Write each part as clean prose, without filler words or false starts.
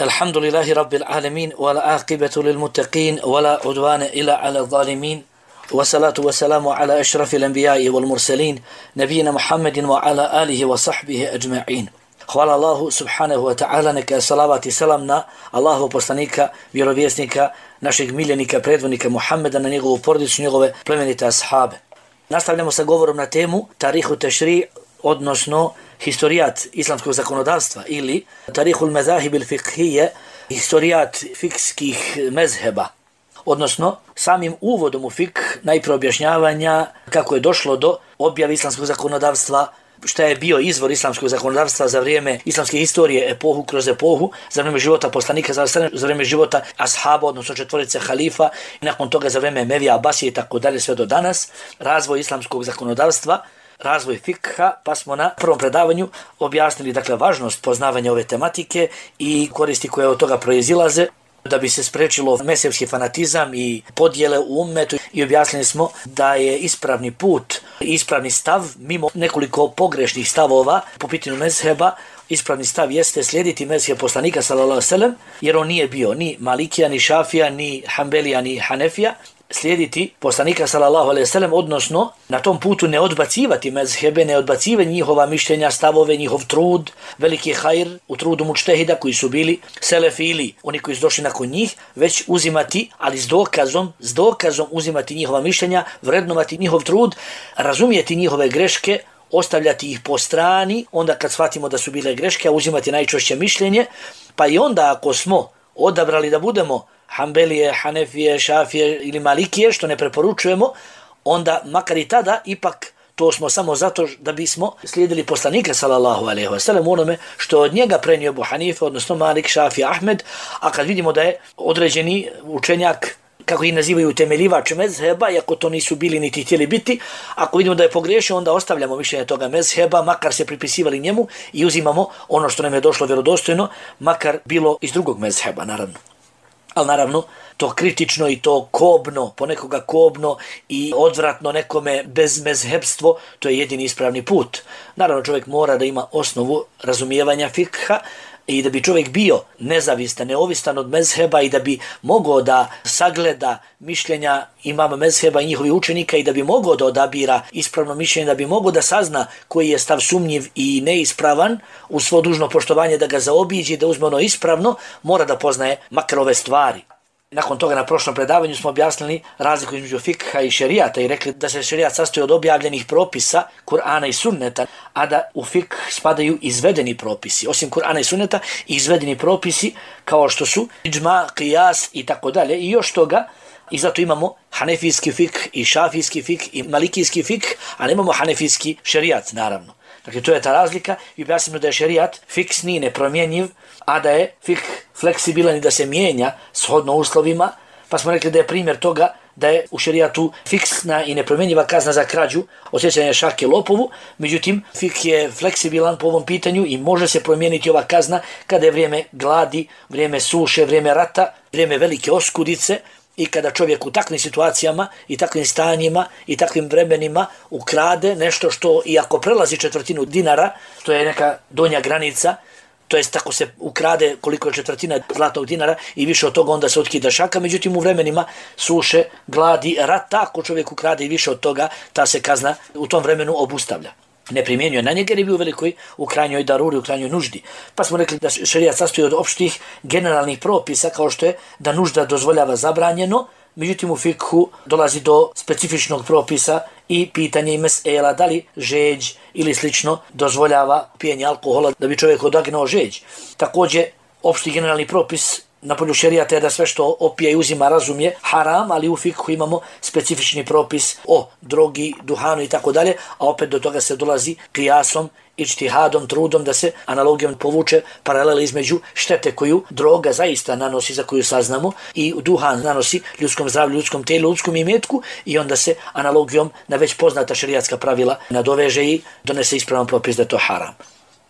الحمد لله رب العالمين والعاقبة للمتقين ولا عدوان إلا على الظالمين والصلاة والسلام على أشرف الأنبياء والمرسلين نبينا محمد وعلى آله وصحبه أجمعين. Hvala Allahu subhanahu wa ta'ala, neka salavat i salam na Allahu poslanika, vjerovjesnika, našeg miljenika, predvodnika Muhammeda, na njegovu porodicu, njegove plemenite ashabe. Nastavljamo sa govorom na temu Tarihu Tešri, odnosno historijat islamskog zakonodavstva ili Tarihul Mezahib il Fiqhije, historijat fikskih mezheba. Odnosno, samim uvodom u fik najprije objašnjavanja kako je došlo do objave islamskog zakonodavstva, šta je bio izvor islamskog zakonodavstva za vrijeme islamske historije, epohu kroz epohu, za vrijeme života poslanika, za vrijeme života ashaba, odnosno četvorice halifa, i nakon toga za vrijeme Mevija, Abasije i tako dalje sve do danas, razvoj islamskog zakonodavstva, razvoj fikha, pa smo na prvom predavanju objasnili važnost poznavanja ove tematike i koristi koje od toga proizilaze, da bi se sprečilo mezhebski fanatizam i podjele u ummetu, i objasnili smo da je ispravni put, ispravni stav, mimo nekoliko pogrešnih stavova po pitanju mezheba, ispravni stav jeste slijediti mezheb poslanika sallallahu alejhi ve sellem, jer on nije bio ni Malikija, ni Šafija, ni Hanbelija, ni Hanefija. Slijediti poslanika sallallahu alejhi ve sellem, odnosno na tom putu ne odbacivati mezhebe, ne odbacivati njihova mišljenja, stavove, njihov trud, veliki hajr u trudu mučtehida koji su bili selefi ili oni koji su došli nakon njih, već uzimati, ali s dokazom uzimati njihova mišljenja, vrednovati njihov trud, razumijeti njihove greške, ostavljati ih po strani, onda kad shvatimo da su bile greške, uzimati najčešće mišljenje, pa i onda ako smo odabrali da budemo Hanbelije, Hanefije, Šafije ili Malikije, što ne preporučujemo, onda makar i tada ipak to smo samo zato da bismo slijedili poslanika sallallahu alejhi ve sellem onome što od njega prenio Abu Hanife, odnosno Malik, Šafija, Ahmed, a kad vidimo da je određeni učenjak, kako ih nazivaju, temeljivač mezheba, iako to nisu bili niti htjeli biti, ako vidimo da je pogriješio, onda ostavljamo mišljenje toga mezheba, makar se pripisivali njemu, i uzimamo ono što nam je došlo vjerodostojno, makar bilo iz drugog mezheba, naravno. Ali naravno, to kritično i to kobno, ponekoga kobno i odvratno nekome bezmezhebstvo, to je jedini ispravni put. Naravno, čovjek mora da ima osnovu razumijevanja fikha i da bi čovjek bio nezavistan, neovisan od mezheba i da bi mogao da sagleda mišljenja imama mezheba i njihovih učenika i da bi mogao da odabira ispravno mišljenje, da bi mogao da sazna koji je stav sumnjiv i neispravan, u svo dužno poštovanje da ga zaobiđe, da uzme ono ispravno, mora da poznaje makar ove stvari. Nakon toga na prošlom predavanju smo objasnili razliku između fikha i šerijata i rekli da se šerijat sastoji od objavljenih propisa Kur'ana i Sunneta, a da u fikh spadaju izvedeni propisi. Osim Kur'ana i Sunneta, izvedeni propisi kao što su iđma, qiyas i tako dalje, i još toga. I zato imamo hanefijski fikh i šafijski fikh i malikijski fikh, a nemamo hanefijski šerijat, naravno. Dakle, to je ta razlika, i objasnimo da je šerijat fiksni, nepromjenjiv, a da je fikh fleksibilan i da se mijenja shodno uslovima, pa smo rekli da je primjer toga da je u šerijatu fiksna i nepromjenjiva kazna za krađu, odsjećanje šake lopovu, međutim, fikh je fleksibilan po ovom pitanju i može se promijeniti ova kazna kada je vrijeme gladi, vrijeme suše, vrijeme rata, vrijeme velike oskudice, i kada čovjek u takvim situacijama i takvim stanjima i takvim vremenima ukrade nešto što, iako prelazi četvrtinu dinara, to je neka donja granica, to jest tako se ukrade koliko je četvrtina zlatnog dinara i više od toga, onda se otkida šaka. Međutim, u vremenima suše, gladi, rata, ako čovjek ukrade i više od toga, ta se kazna u tom vremenu obustavlja. Ne primjenjuje na njega jer je bio velikoj u krajnjoj daruri, u krajnjoj nuždi. Pa smo rekli da šerijat sastoji od opštih generalnih propisa, kao što je da nužda dozvoljava zabranjeno, međutim u fikhu dolazi do specifičnog propisa i pitanje i mesela da li žeđ ili slično dozvoljava pijenje alkohola da bi čovjek odagnao žeđ. Također, opšti generalni propis na polju šerijata je da sve što opija i uzima razum je haram, ali u fikhu imamo specifični propis o drogi, duhanu i tako dalje, a opet do toga se dolazi qiyasom, ijtihadom, trudom da se analogijom povuče paralele između štete koju droga zaista nanosi, za koju saznamo, i duhan nanosi ljudskom zdravlju, ljudskom tijelu, ljudskom imetku, i onda se analogijom na već poznata šerijatska pravila nadoveže i donese ispravan propis da je to haram.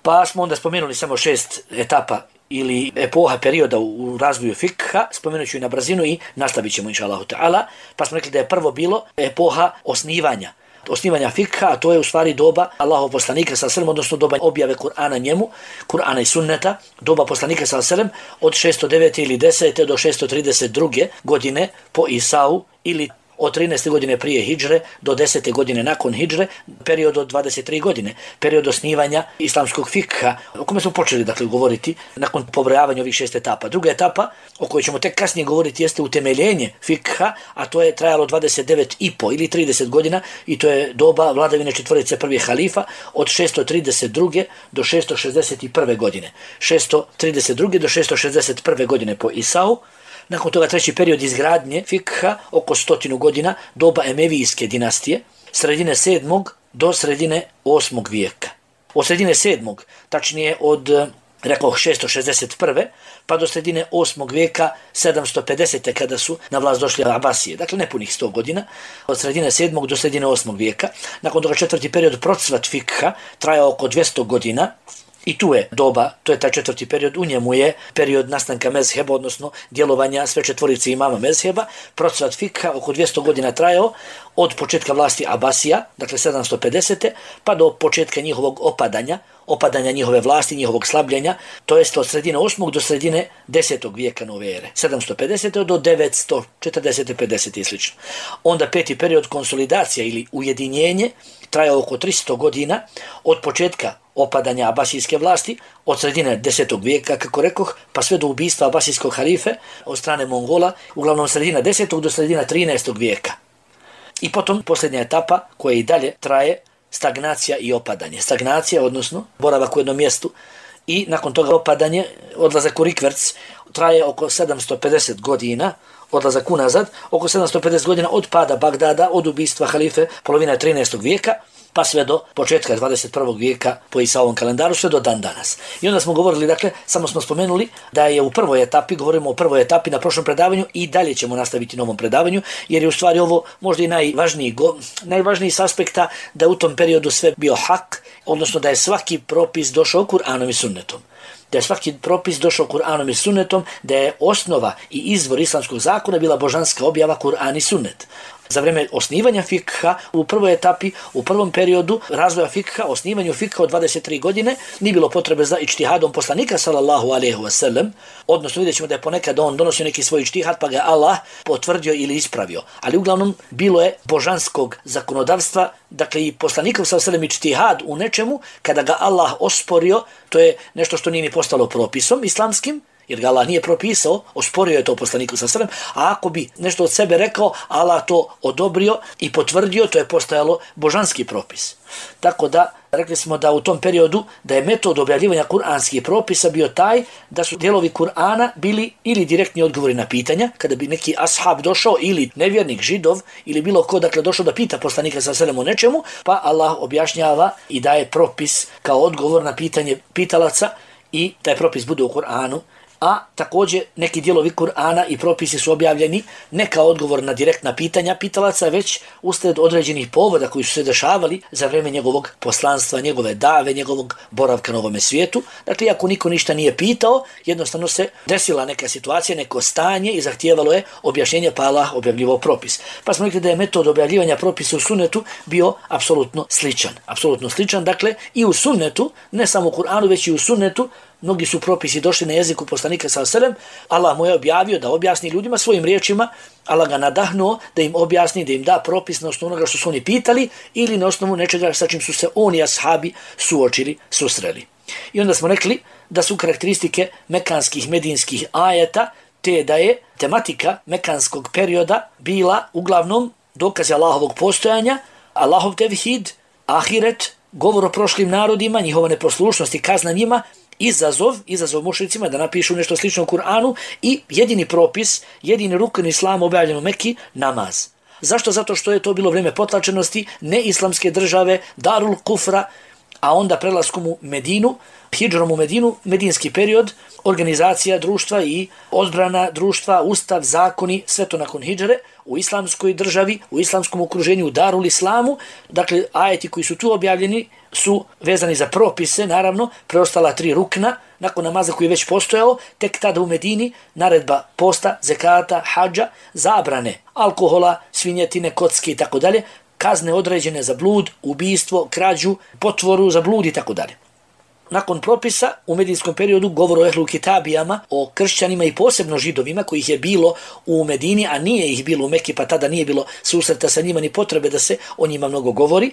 Pa smo onda spomenuli samo 6 etapa ili epoha perioda u razvoju fikha, spomenut ću i na brzinu i nastavit ćemo inša Allahu ta'ala. Pa smo rekli da je prvo bilo epoha osnivanja, osnivanja fikha, a to je u stvari doba Allahov poslanika sallallahu alejhi ve sellem, odnosno doba objave Kur'ana njemu, Kur'ana i sunneta, doba poslanika sallallahu alejhi ve sellem od 609. ili 10. do 632. godine po Isau, ili od 13. godine prije hidžre do 10. godine nakon hidžre, period od 23 godine, period osnivanja islamskog fikha, o kome smo počeli dakle govoriti nakon pobrojavanja ovih 6 etapa. Druga etapa, o kojoj ćemo tek kasnije govoriti, jeste utemeljenje fikha, a to je trajalo 29,5 ili 30 godina i to je doba vladavine četvorice prvih halifa od 632. do 661. godine. 632. do 661. godine po Isau. Nakon toga treći period izgradnje fikha, oko 100 godina, doba Emevijske dinastije, sredine 7. do sredine 8. vijeka. Od sredine 7. tačnije od, rekao, 661. pa do sredine 8. vijeka 750. kada su na vlast došli Abasije. Dakle, nepunih 100 godina. Od sredine 7. do sredine 8. vijeka. Nakon toga četvrti period procvat fikha trajao oko 200 godina. I tu je doba, to je taj četvrti period, u njemu je period nastanka mezheba, odnosno djelovanja sve četvorice imama mezheba. Procvat fikha oko 200 godina trajao od početka vlasti Abasija, dakle 750. pa do početka njihovog opadanja njihove vlasti, njihovog slabljenja, to jest od sredine 8. do sredine 10. vijeka nove ere, 750. do 940. 50. i sl. Onda peti period konsolidacija ili ujedinjenje trajao oko 300 godina od početka opadanja abasijske vlasti, od sredine 10. vijeka, kako rekoh, pa sve do ubistva abasijskog halife od strane Mongola, uglavnom sredina 10. do sredina 13. vijeka. I potom posljednja etapa koja i dalje traje, stagnacija i opadanje. Stagnacija, odnosno boravak u jednom mjestu, i nakon toga opadanje, odlazak u rikverc, traje oko 750 godina, odlazak unazad, oko 750 godina od pada Bagdada, od ubistva halife, polovina 13. vijeka, pa sve do početka 21. vijeka po Isaovom kalendaru, sve do dan danas. I onda smo govorili, dakle, samo smo spomenuli da je u prvoj etapi, govorimo o prvoj etapi na prošlom predavanju i dalje ćemo nastaviti na ovom predavanju, jer je u stvari ovo možda i najvažniji s aspekta da u tom periodu sve bio hak, odnosno da je svaki propis došao Kur'anom i sunnetom. Da je svaki propis došao Kur'anom i sunnetom, da je osnova i izvor islamskog zakona bila božanska objava Kur'an i sunnet. Za vrijeme osnivanja fikha, u prvoj etapi, u prvom periodu razvoja fikha, osnivanju fikha od 23 godine, nije bilo potrebe za ičtihadom poslanika sallallahu alejhi ve sellem, odnosno vidjet ćemo da je ponekad on donosio neki svoj ičtihad pa ga Allah potvrdio ili ispravio. Ali uglavnom bilo je božanskog zakonodavstva, dakle i poslanikov sallallahu alejhi ve sellem ičtihad u nečemu, kada ga Allah osporio, to je nešto što nije ni postalo propisom islamskim, jer ga Allah nije propisao, osporio je to poslaniku sallallahu alejhi ve sellem, a ako bi nešto od sebe rekao, Allah to odobrio i potvrdio, to je postajalo božanski propis. Tako da, rekli smo da u tom periodu, da je metod objavljivanja kuranskih propisa bio taj da su dijelovi Kur'ana bili ili direktni odgovori na pitanja, kada bi neki ashab došao ili nevjernik, židov, ili bilo ko, dakle, došao da pita poslanika sallallahu alejhi ve sellem o nečemu, pa Allah objašnjava i daje propis kao odgovor na pitanje pitalaca i taj propis bude u Kur'anu. A također neki dijelovi Kur'ana i propisi su objavljeni ne kao odgovor na direktna pitanja pitalaca, već uslijed određenih povoda koji su se dešavali za vrijeme njegovog poslanstva, njegove dave, njegovog boravka na ovome svijetu. Dakle, ako niko ništa nije pitao, jednostavno se desila neka situacija, neko stanje i zahtijevalo je objašnjenje, pa Allah objavljivao propis. Pa smo rekli da je metod objavljivanja propisa u sunnetu bio apsolutno sličan. Dakle, i u sunnetu, ne samo u Kur'anu, već i u sunnetu, mnogi su propisi došli na jeziku poslanika sallallahu alejhi ve sellem. Allah mu je objavio da objasni ljudima svojim riječima, Allah ga nadahnuo da im objasni, da im da propis na osnovu onoga što su oni pitali ili na osnovu nečega sa čim su se oni i ashabi susreli. I onda smo rekli da su karakteristike mekanskih, medinskih ajeta te da je tematika mekanskog perioda bila uglavnom dokaze Allahovog postojanja, Allahov tevhid, ahiret, govor o prošlim narodima, njihova neposlušnost i kazna njima, izazov mušricima da napišu nešto slično u Kur'anu i jedini propis, jedini rukn islama objavljen u Mekki, namaz. Zašto? Zato što je to bilo vrijeme potlačenosti neislamske države, Darul Kufra, a onda prelaskom u Medinu, hidžrom u Medinu, medinski period, organizacija društva i odbrana društva, ustav, zakoni, sve to nakon hidžre, u islamskoj državi, u islamskom okruženju, u Darul Islamu. Dakle, ajeti koji su tu objavljeni su vezani za propise, naravno, preostala 3 rukna, nakon namaza koji je već postojao, tek tada u Medini, naredba posta, zekata, hadža, zabrane alkohola, svinjetine, kocke i tako dalje, kazne određene za blud, ubijstvo, krađu, potvoru za blud i tako dalje. Nakon propisa u medijinskom periodu govor o ehlu kitabijama, o kršćanima i posebno židovima kojih je bilo u Medini, a nije ih bilo u Meki, pa tada nije bilo susreta sa njima ni potrebe da se o njima mnogo govori.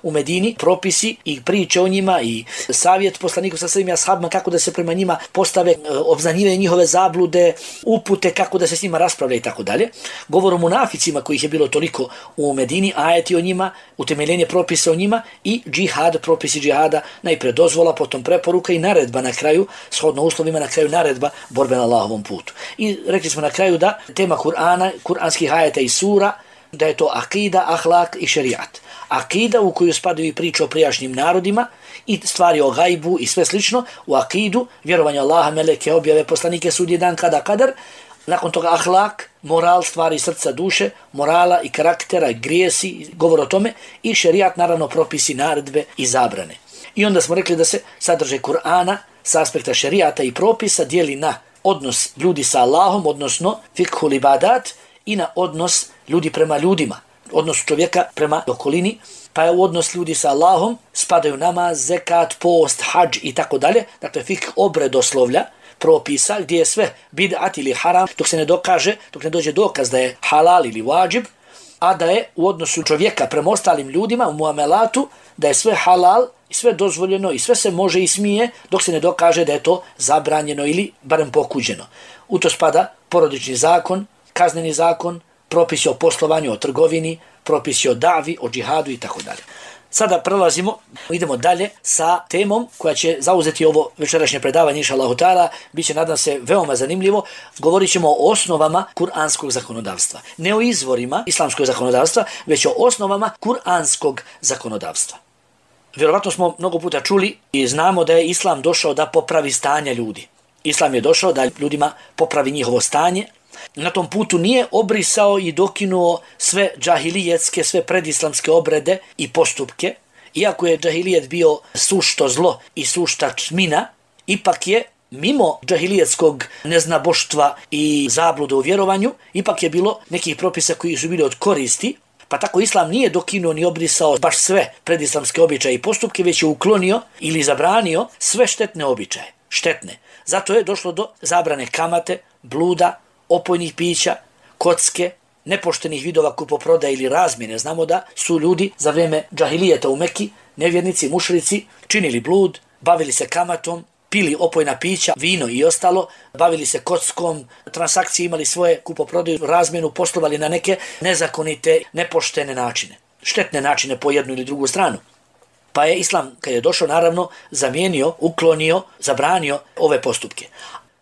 U Medini propisi i priče o njima i savjet poslaniku sa svim ashabima kako da se prema njima postave, obznanjivanje njihove zablude, upute kako da se s njima raspravlja i tako dalje. Govor o munaficima kojih je bilo toliko u Medini, ajeti o njima, utemeljenje propisa o njima i džihad, propisi džihada, najpre dozvola, potom preporuka i naredba na kraju, shodno uslovima na kraju naredba borbe na Allahovom putu. I rekli smo na kraju da tema Kur'ana, kuranskih ajeta i sura, da je to akida, ahlak i šerijat. Akida u koju spadaju i priče o prijašnjim narodima i stvari o gajbu i sve slično, u akidu, vjerovanje Allaha, meleke, objave, poslanike, sudnji dan, kada kadar, nakon toga ahlak, moral, stvari srca, duše, morala i karaktera, grijesi, govor o tome i šerijat, naravno propisi, naredbe i zabrane. I onda smo rekli da se sadržaj Kur'ana s aspekta šerijata i propisa dijeli na odnos ljudi sa Allahom, odnosno fikhul ibadat, i na odnos ljudi prema ljudima, odnos čovjeka prema okolini, pa je u odnos ljudi sa Allahom spadaju namaz, zekat, post, hadž i tako dalje. Dakle, fikh obredoslovlja, propisa, gdje je sve bid'at ili haram, dok se ne dokaže, dok ne dođe dokaz da je halal ili wajib, a da je u odnosu čovjeka prema ostalim ljudima, u muamelatu, da je sve halal i sve dozvoljeno i sve se može i smije, dok se ne dokaže da je to zabranjeno ili barem pokuđeno. U to spada porodični zakon, kazneni zakon, propisi o poslovanju, o trgovini, propisi o davi, o džihadu i tako dalje. Sada idemo dalje sa temom koja će zauzeti ovo večerašnje predavanje, inša Allahu ta'ala, bit će, nadam se, veoma zanimljivo. Govorit ćemo o osnovama kuranskog zakonodavstva. Ne o izvorima islamskog zakonodavstva, već o osnovama kuranskog zakonodavstva. Vjerovatno smo mnogo puta čuli i znamo da je Islam došao da popravi stanje ljudi. Islam je došao da ljudima popravi njihovo stanje. Na tom putu nije obrisao i dokinuo sve džahilijetske, sve predislamske obrede i postupke. Iako je džahilijet bio sušto zlo i sušta tmina, ipak je mimo džahilijetskog neznaboštva i zablude u vjerovanju, ipak je bilo nekih propisa koji su bili od koristi, pa tako Islam nije dokinuo ni obrisao baš sve predislamske običaje i postupke, već je uklonio ili zabranio sve štetne običaje. Štetne. Zato je došlo do zabrane kamate, bluda, opojnih pića, kocke, nepoštenih vidova kupoprodaje ili razmjene. Znamo da su ljudi za vrijeme džahilijeta u Meki, nevjernici, mušrici, činili blud, bavili se kamatom, pili opojna pića, vino i ostalo, bavili se kockom, transakcije, imali svoje kupoprodaju, razmjenu, poslovali na neke nezakonite, nepoštene načine. Štetne načine po jednu ili drugu stranu. Pa je Islam, kad je došao, naravno, zamijenio, uklonio, zabranio ove postupke.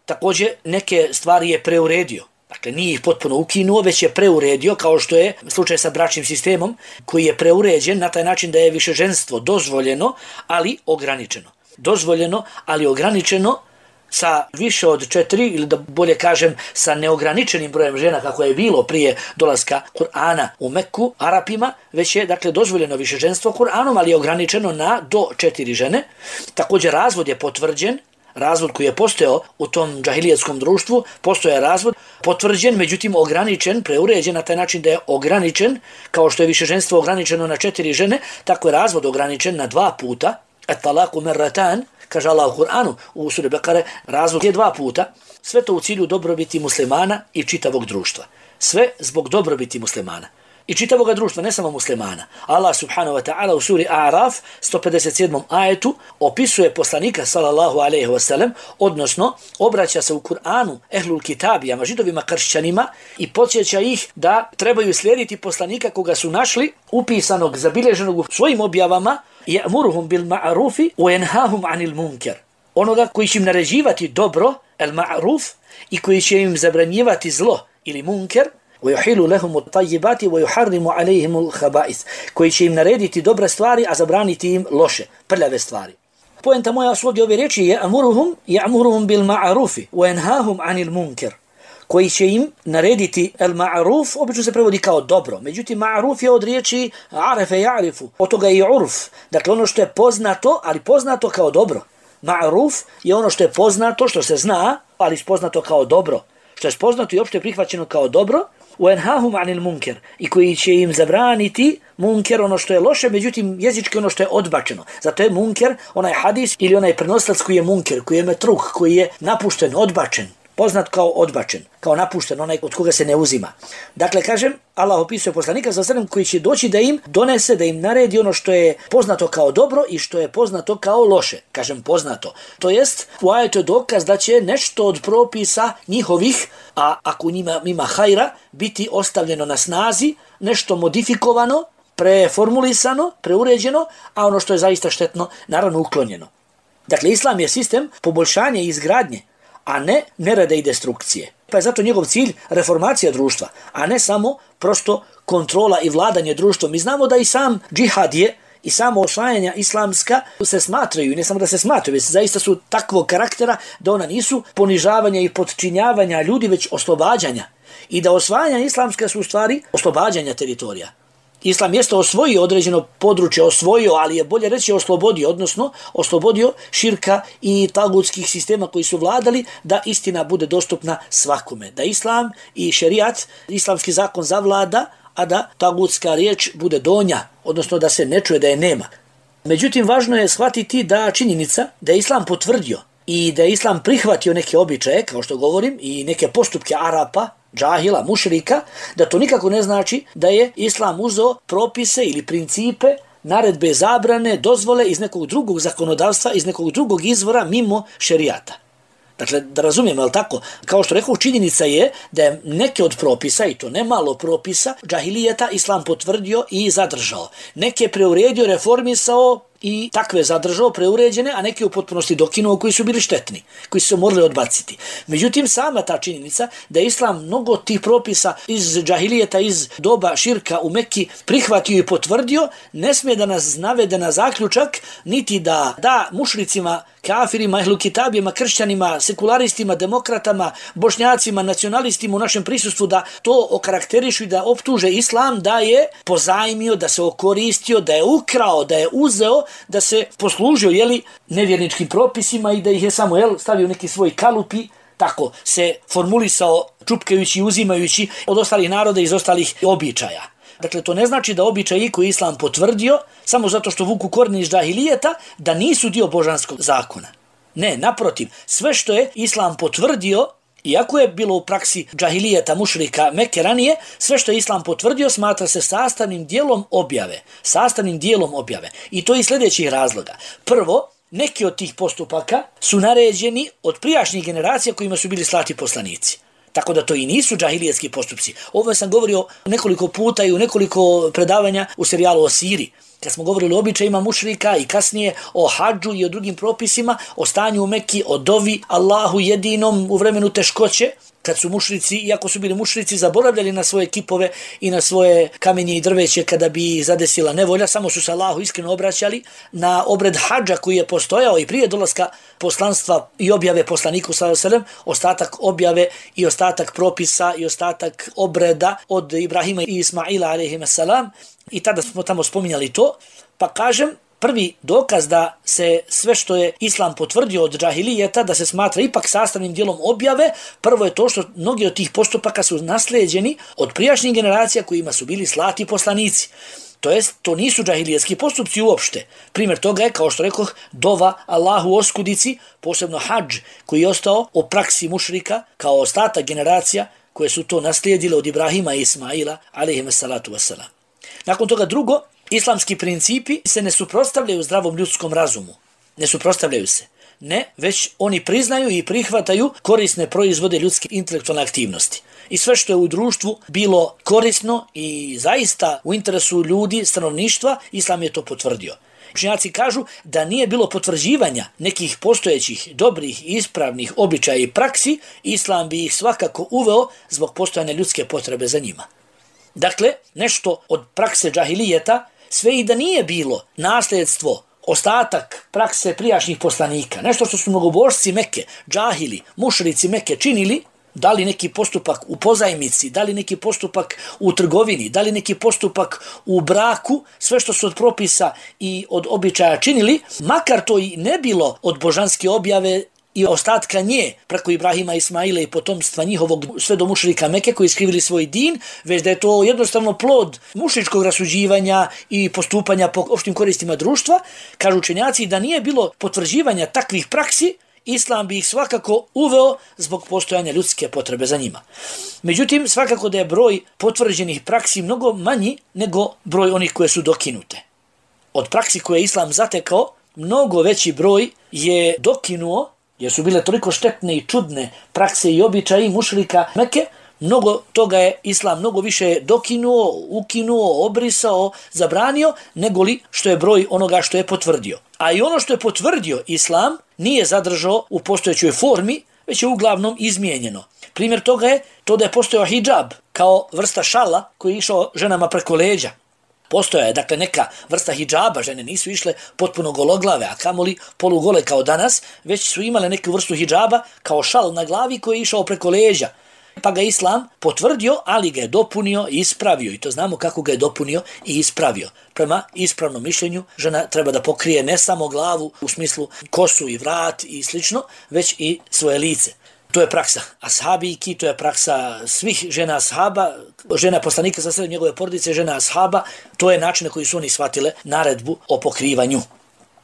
Također, neke stvari je preuredio. Dakle, nije ih potpuno ukinuo, već je preuredio, kao što je slučaj sa bračnim sistemom, koji je preuređen na taj način da je višeženstvo dozvoljeno, ali ograničeno. Dozvoljeno, ali ograničeno sa više od 4, ili da bolje kažem, sa neograničenim brojem žena, kako je bilo prije dolaska Kur'ana u Meku, Arapima, već je, dakle, dozvoljeno višeženstvo Kur'anom, ali je ograničeno na do 4 žene. Također, razvod je potvrđen, razvod koji je postojao u tom džahilijetskom društvu, postoje razvod potvrđen, međutim ograničen, preuređen na taj način da je ograničen, kao što je višeženstvo ograničeno na 4 žene, tako je razvod ograničen na 2 puta. At-talaku marratan, kaže Allah u Kur'anu, u suri Bekare, razvod je 2 puta. Sve to u cilju dobrobiti muslimana i čitavog društva. Sve zbog dobrobiti muslimana i čitavog društva, ne samo muslimana. Allah subhanahu wa ta'ala u suri A'raf 157. ajetu opisuje poslanika sallallahu alejhi ve sellem, odnosno obraća se u Kur'anu ehlul kitabijama, židovima, kršćanima i podsjeća ih da trebaju slijediti poslanika koga su našli upisanog, zabilježenog u svojim objavama, ya'muruhum bil ma'rufi wa yanhahum 'anil munkar. Onoga koji će im naređivati dobro, el ma'ruf, i koji će im zabranjivati zlo ili munker, وَيُحِلُ لَهُمُ الطَّيِّبَاتِ وَيُحَرِّمُ عَلَيْهِمُ الْخَبَائِثِ, koji će im narediti dobre stvari, a zabraniti im loše, prljave stvari. Poenta moja su ovdje ove riječi je يَأْمُرُهُمْ بِالْمَعْرُوفِ وَيَنْهَاهُمْ عَنِ الْمُنْكَرِ, koji će im narediti el-ma'ruf, obično se prevodi kao dobro. Međutim, ma'ruf je od riječi arefe ja'rifu, od toga je i urf. Dakle, ono što je poznato, ali poznato kao dobro. Ma'ruf je ono što je poznato, što se zna, ali spoznato kao dobro. Što je spoznato i opšte prihvaćeno kao dobro, وَيَنْهَاهُمْ عَنِ الْمُنْكَرِ i koji će im zabraniti munker, ono što je loše, međutim jezički ono što je odbačeno. Zato je munker onaj hadis ili onaj prenoslac koji je munker, koji je metruh, koji je napušten, odbačen, poznat kao odbačen, kao napušten, onaj od koga se ne uzima. Dakle, kažem, Allah opisuje poslanika sa sredem koji će doći da im donese, da im naredi ono što je poznato kao dobro i što je poznato kao loše. Kažem poznato. To jest, u ajetu je dokaz da će nešto od propisa njihovih, a ako njima ima hajra, biti ostavljeno na snazi, nešto modifikovano, preformulisano, preuređeno, a ono što je zaista štetno, naravno uklonjeno. Dakle, Islam je sistem poboljšanja i izgradnje, a ne nereda i destrukcije. Pa je zato njegov cilj reformacija društva, a ne samo prosto kontrola i vladanje društvom. Mi znamo da i sam džihad je i samo osvajanja islamska se smatraju, i ne samo da se smatraju, već zaista su takvog karaktera da ona nisu ponižavanja i podčinjavanja ljudi, već oslobađanja. I da osvajanja islamska su u stvari oslobađanja teritorija. Islam jeste osvojio određeno područje, ali je bolje reći oslobodio, odnosno oslobodio širka i tagutskih sistema koji su vladali, da istina bude dostupna svakome. Da islam i šerijat, islamski zakon zavlada, a da tagutska riječ bude donja, odnosno da se ne čuje, da je nema. Međutim, važno je shvatiti da činjenica da je islam potvrdio i da je islam prihvatio neke običaje, kao što govorim, i neke postupke Arapa, džahila, mušrika, da to nikako ne znači da je islam uzeo propise ili principe, naredbe, zabrane, dozvole iz nekog drugog zakonodavstva, iz nekog drugog izvora mimo šerijata. Dakle, da razumijemo, je li tako? Kao što rekao, činjenica je da je neke od propisa, i to ne malo propisa, džahilijeta islam potvrdio i zadržao. Neke preuredio, reformisao i takve zadržao, preuređene, a neke u potpunosti dokinuo koji su bili štetni, koji su se morali odbaciti. Međutim, sama ta činjenica da je islam mnogo tih propisa iz džahilijeta, iz doba širka u Mekki prihvatio i potvrdio, ne smije da nas navede na zaključak, niti da mušricima, kafirima, ehlu kitabijama, kršćanima, sekularistima, demokratama, bošnjacima, nacionalistima u našem prisustvu da to okarakterišu i da optuže islam da je pozajmio, da se okoristio, da je ukrao, da je uzeo, da se poslužio nevjerničkim propisima i da ih je samo stavio neki svoj kalupi, tako se formulisao čupkajući i uzimajući od ostalih naroda iz ostalih običaja. Dakle, to ne znači da običaji koji islam potvrdio, samo zato što vuku korijene iz džahilijeta, da nisu dio božanskog zakona. Ne, naprotiv, sve što je islam potvrdio, iako je bilo u praksi džahilijeta, mušrika, Mekke ranije, sve što je islam potvrdio smatra se sastavnim dijelom objave. Sastavnim dijelom objave. I to iz sljedećih razloga. Prvo, neki od tih postupaka su naređeni od prijašnjih generacija kojima su bili slati poslanici. Tako da to i nisu džahilijetski postupci. Ovo sam govorio nekoliko puta i u nekoliko predavanja u serijalu o Siri. Kad smo govorili o običajima mušrika i kasnije o hadžu i o drugim propisima, o stanju u Mekki, o dovi Allahu jedinom u vremenu teškoće, kad su mušrici, iako su bili mušrici, zaboravljali na svoje kipove i na svoje kamenje i drveće kada bi ih zadesila nevolja, samo su se Allahu iskreno obraćali na obred hadža koji je postojao i prije dolaska poslanstva i objave poslaniku sallallahu alejhi ve sellem, ostatak objave i ostatak propisa i ostatak obreda od Ibrahima i Ismaila alejhimus salam, i tada smo tamo spominjali to, pa kažem, prvi dokaz da se sve što je islam potvrdio od džahilijeta, da se smatra ipak sastavnim dijelom objave, prvo je to što mnogi od tih postupaka su naslijeđeni od prijašnjih generacija kojima su bili slati poslanici. To jest, to nisu džahilijetski postupci uopšte. Primjer toga je, kao što rekoh, dova Allahu oskudici, posebno hadž koji je ostao o praksi mušrika kao ostatak generacija koje su to naslijedile od Ibrahima i Ismaila, alejhimus salatu vesselam. Nakon toga drugo, islamski principi se ne suprotstavljaju zdravom ljudskom razumu. Ne suprotstavljaju se. Ne, već oni priznaju i prihvataju korisne proizvode ljudske intelektualne aktivnosti. I sve što je u društvu bilo korisno i zaista u interesu ljudi, stanovništva, islam je to potvrdio. Učenjaci kažu da nije bilo potvrđivanja nekih postojećih, dobrih, ispravnih običaja i praksi, islam bi ih svakako uveo zbog postojanja ljudske potrebe za njima. Dakle, nešto od prakse džahilijeta, sve i da nije bilo nasljedstvo, ostatak prakse prijašnjih poslanika, nešto što su mnogobožci Mekke, džahili, mušrici Mekke činili, da li neki postupak u pozajmici, da li neki postupak u trgovini, da li neki postupak u braku, sve što su od propisa i od običaja činili, makar to i ne bilo od božanske objave i ostatka nje preko Ibrahima, Ismaila i potomstva njihovog sve do mušrika Meke koji iskrivili svoj din, već da je to jednostavno plod mušričkog rasuđivanja i postupanja po opštim koristima društva. Kažu učenjaci da nije bilo potvrđivanja takvih praksi, Islam bi ih svakako uveo zbog postojanja ljudske potrebe za njima. Međutim, svakako da je broj potvrđenih praksi mnogo manji nego broj onih koje su dokinute. Od praksi koje je Islam zatekao, mnogo veći broj je dokinuo, jer su bile toliko štetne i čudne prakse i običaji mušrika Meke, mnogo toga je Islam mnogo više dokinuo, ukinuo, obrisao, zabranio, nego li što je broj onoga što je potvrdio. A i ono što je potvrdio Islam nije zadržao u postojećoj formi, već je uglavnom izmijenjeno. Primjer toga je to da je postojao hidžab kao vrsta šala koji je išao ženama preko leđa. Postoja je, dakle, neka vrsta hidžaba, žene nisu išle potpuno gologlave, a kamoli polugole kao danas, već su imale neku vrstu hidžaba kao šal na glavi koji je išao preko leđa. Pa ga Islam potvrdio, ali ga je dopunio i ispravio. I to znamo kako ga je dopunio i ispravio. Prema ispravnom mišljenju, žena treba da pokrije ne samo glavu u smislu kosu i vrat i slično, već i svoje lice. To je praksa ashabijki, to je praksa svih žena ashaba, žena poslanika sa sredem njegove porodice, žena ashaba, to je način na koji su oni shvatile naredbu o pokrivanju.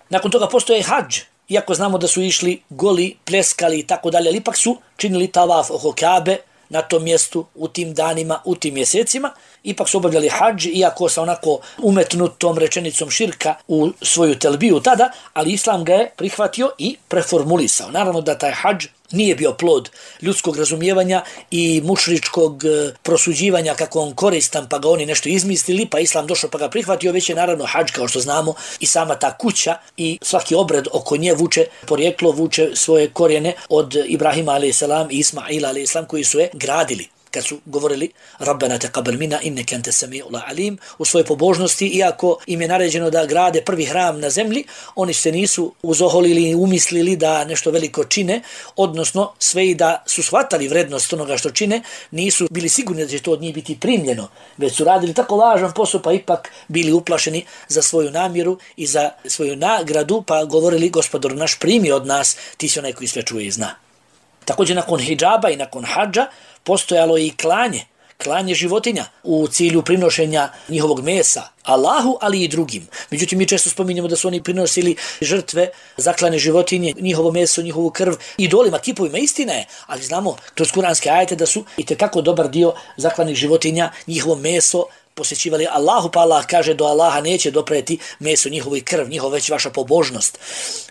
Nakon toga postoje hadž, iako znamo da su išli goli, pleskali i tako dalje, ali ipak su činili tavaf oko Kabe na tom mjestu, u tim danima, u tim mjesecima, ipak su obavljali hadž, iako sa onako umetnutom rečenicom širka u svoju telbiju tada, ali Islam ga je prihvatio i preformulisao. Naravno da taj hadž nije bio plod ljudskog razumijevanja i mušričkog prosuđivanja kako on koristan, pa ga oni nešto izmislili, pa Islam došao pa ga prihvatio, već je naravno hadž, kao što znamo, i sama ta kuća i svaki obred oko nje vuče porijeklo, vuče svoje korijene od Ibrahima a.s. i Ismaila a.s. koji su je gradili. Kad su govorili Rabbena taqabbal minna innaka antas samiul alim u svojoj pobožnosti, iako im je naređeno da grade prvi hram na zemlji, oni se nisu uzoholili i umislili da nešto veliko čine, odnosno sve i da su shvatali vrednost onoga što čine, nisu bili sigurni da će to od njih biti primljeno, već su radili tako važan posao, pa ipak bili uplašeni za svoju namjeru i za svoju nagradu, pa govorili Gospodar naš, primi od nas, ti si onaj koji sve čuje i zna. Također nakon hidžaba i nakon hadža postojalo i klanje životinja u cilju prinošenja njihovog mesa Allahu, ali i drugim. Međutim, mi često spominjemo da su oni prinosili žrtve, zaklane životinje, njihovo meso, njihovu krv, idolima, kipovima, istina je, ali znamo kroz kuranske ajete da su itekako dobar dio zaklanih životinja, njihovo meso posjećivali Allahu, pa Allah kaže do Allaha neće dopreti meso njihovo i krv, njihovo već vaša pobožnost.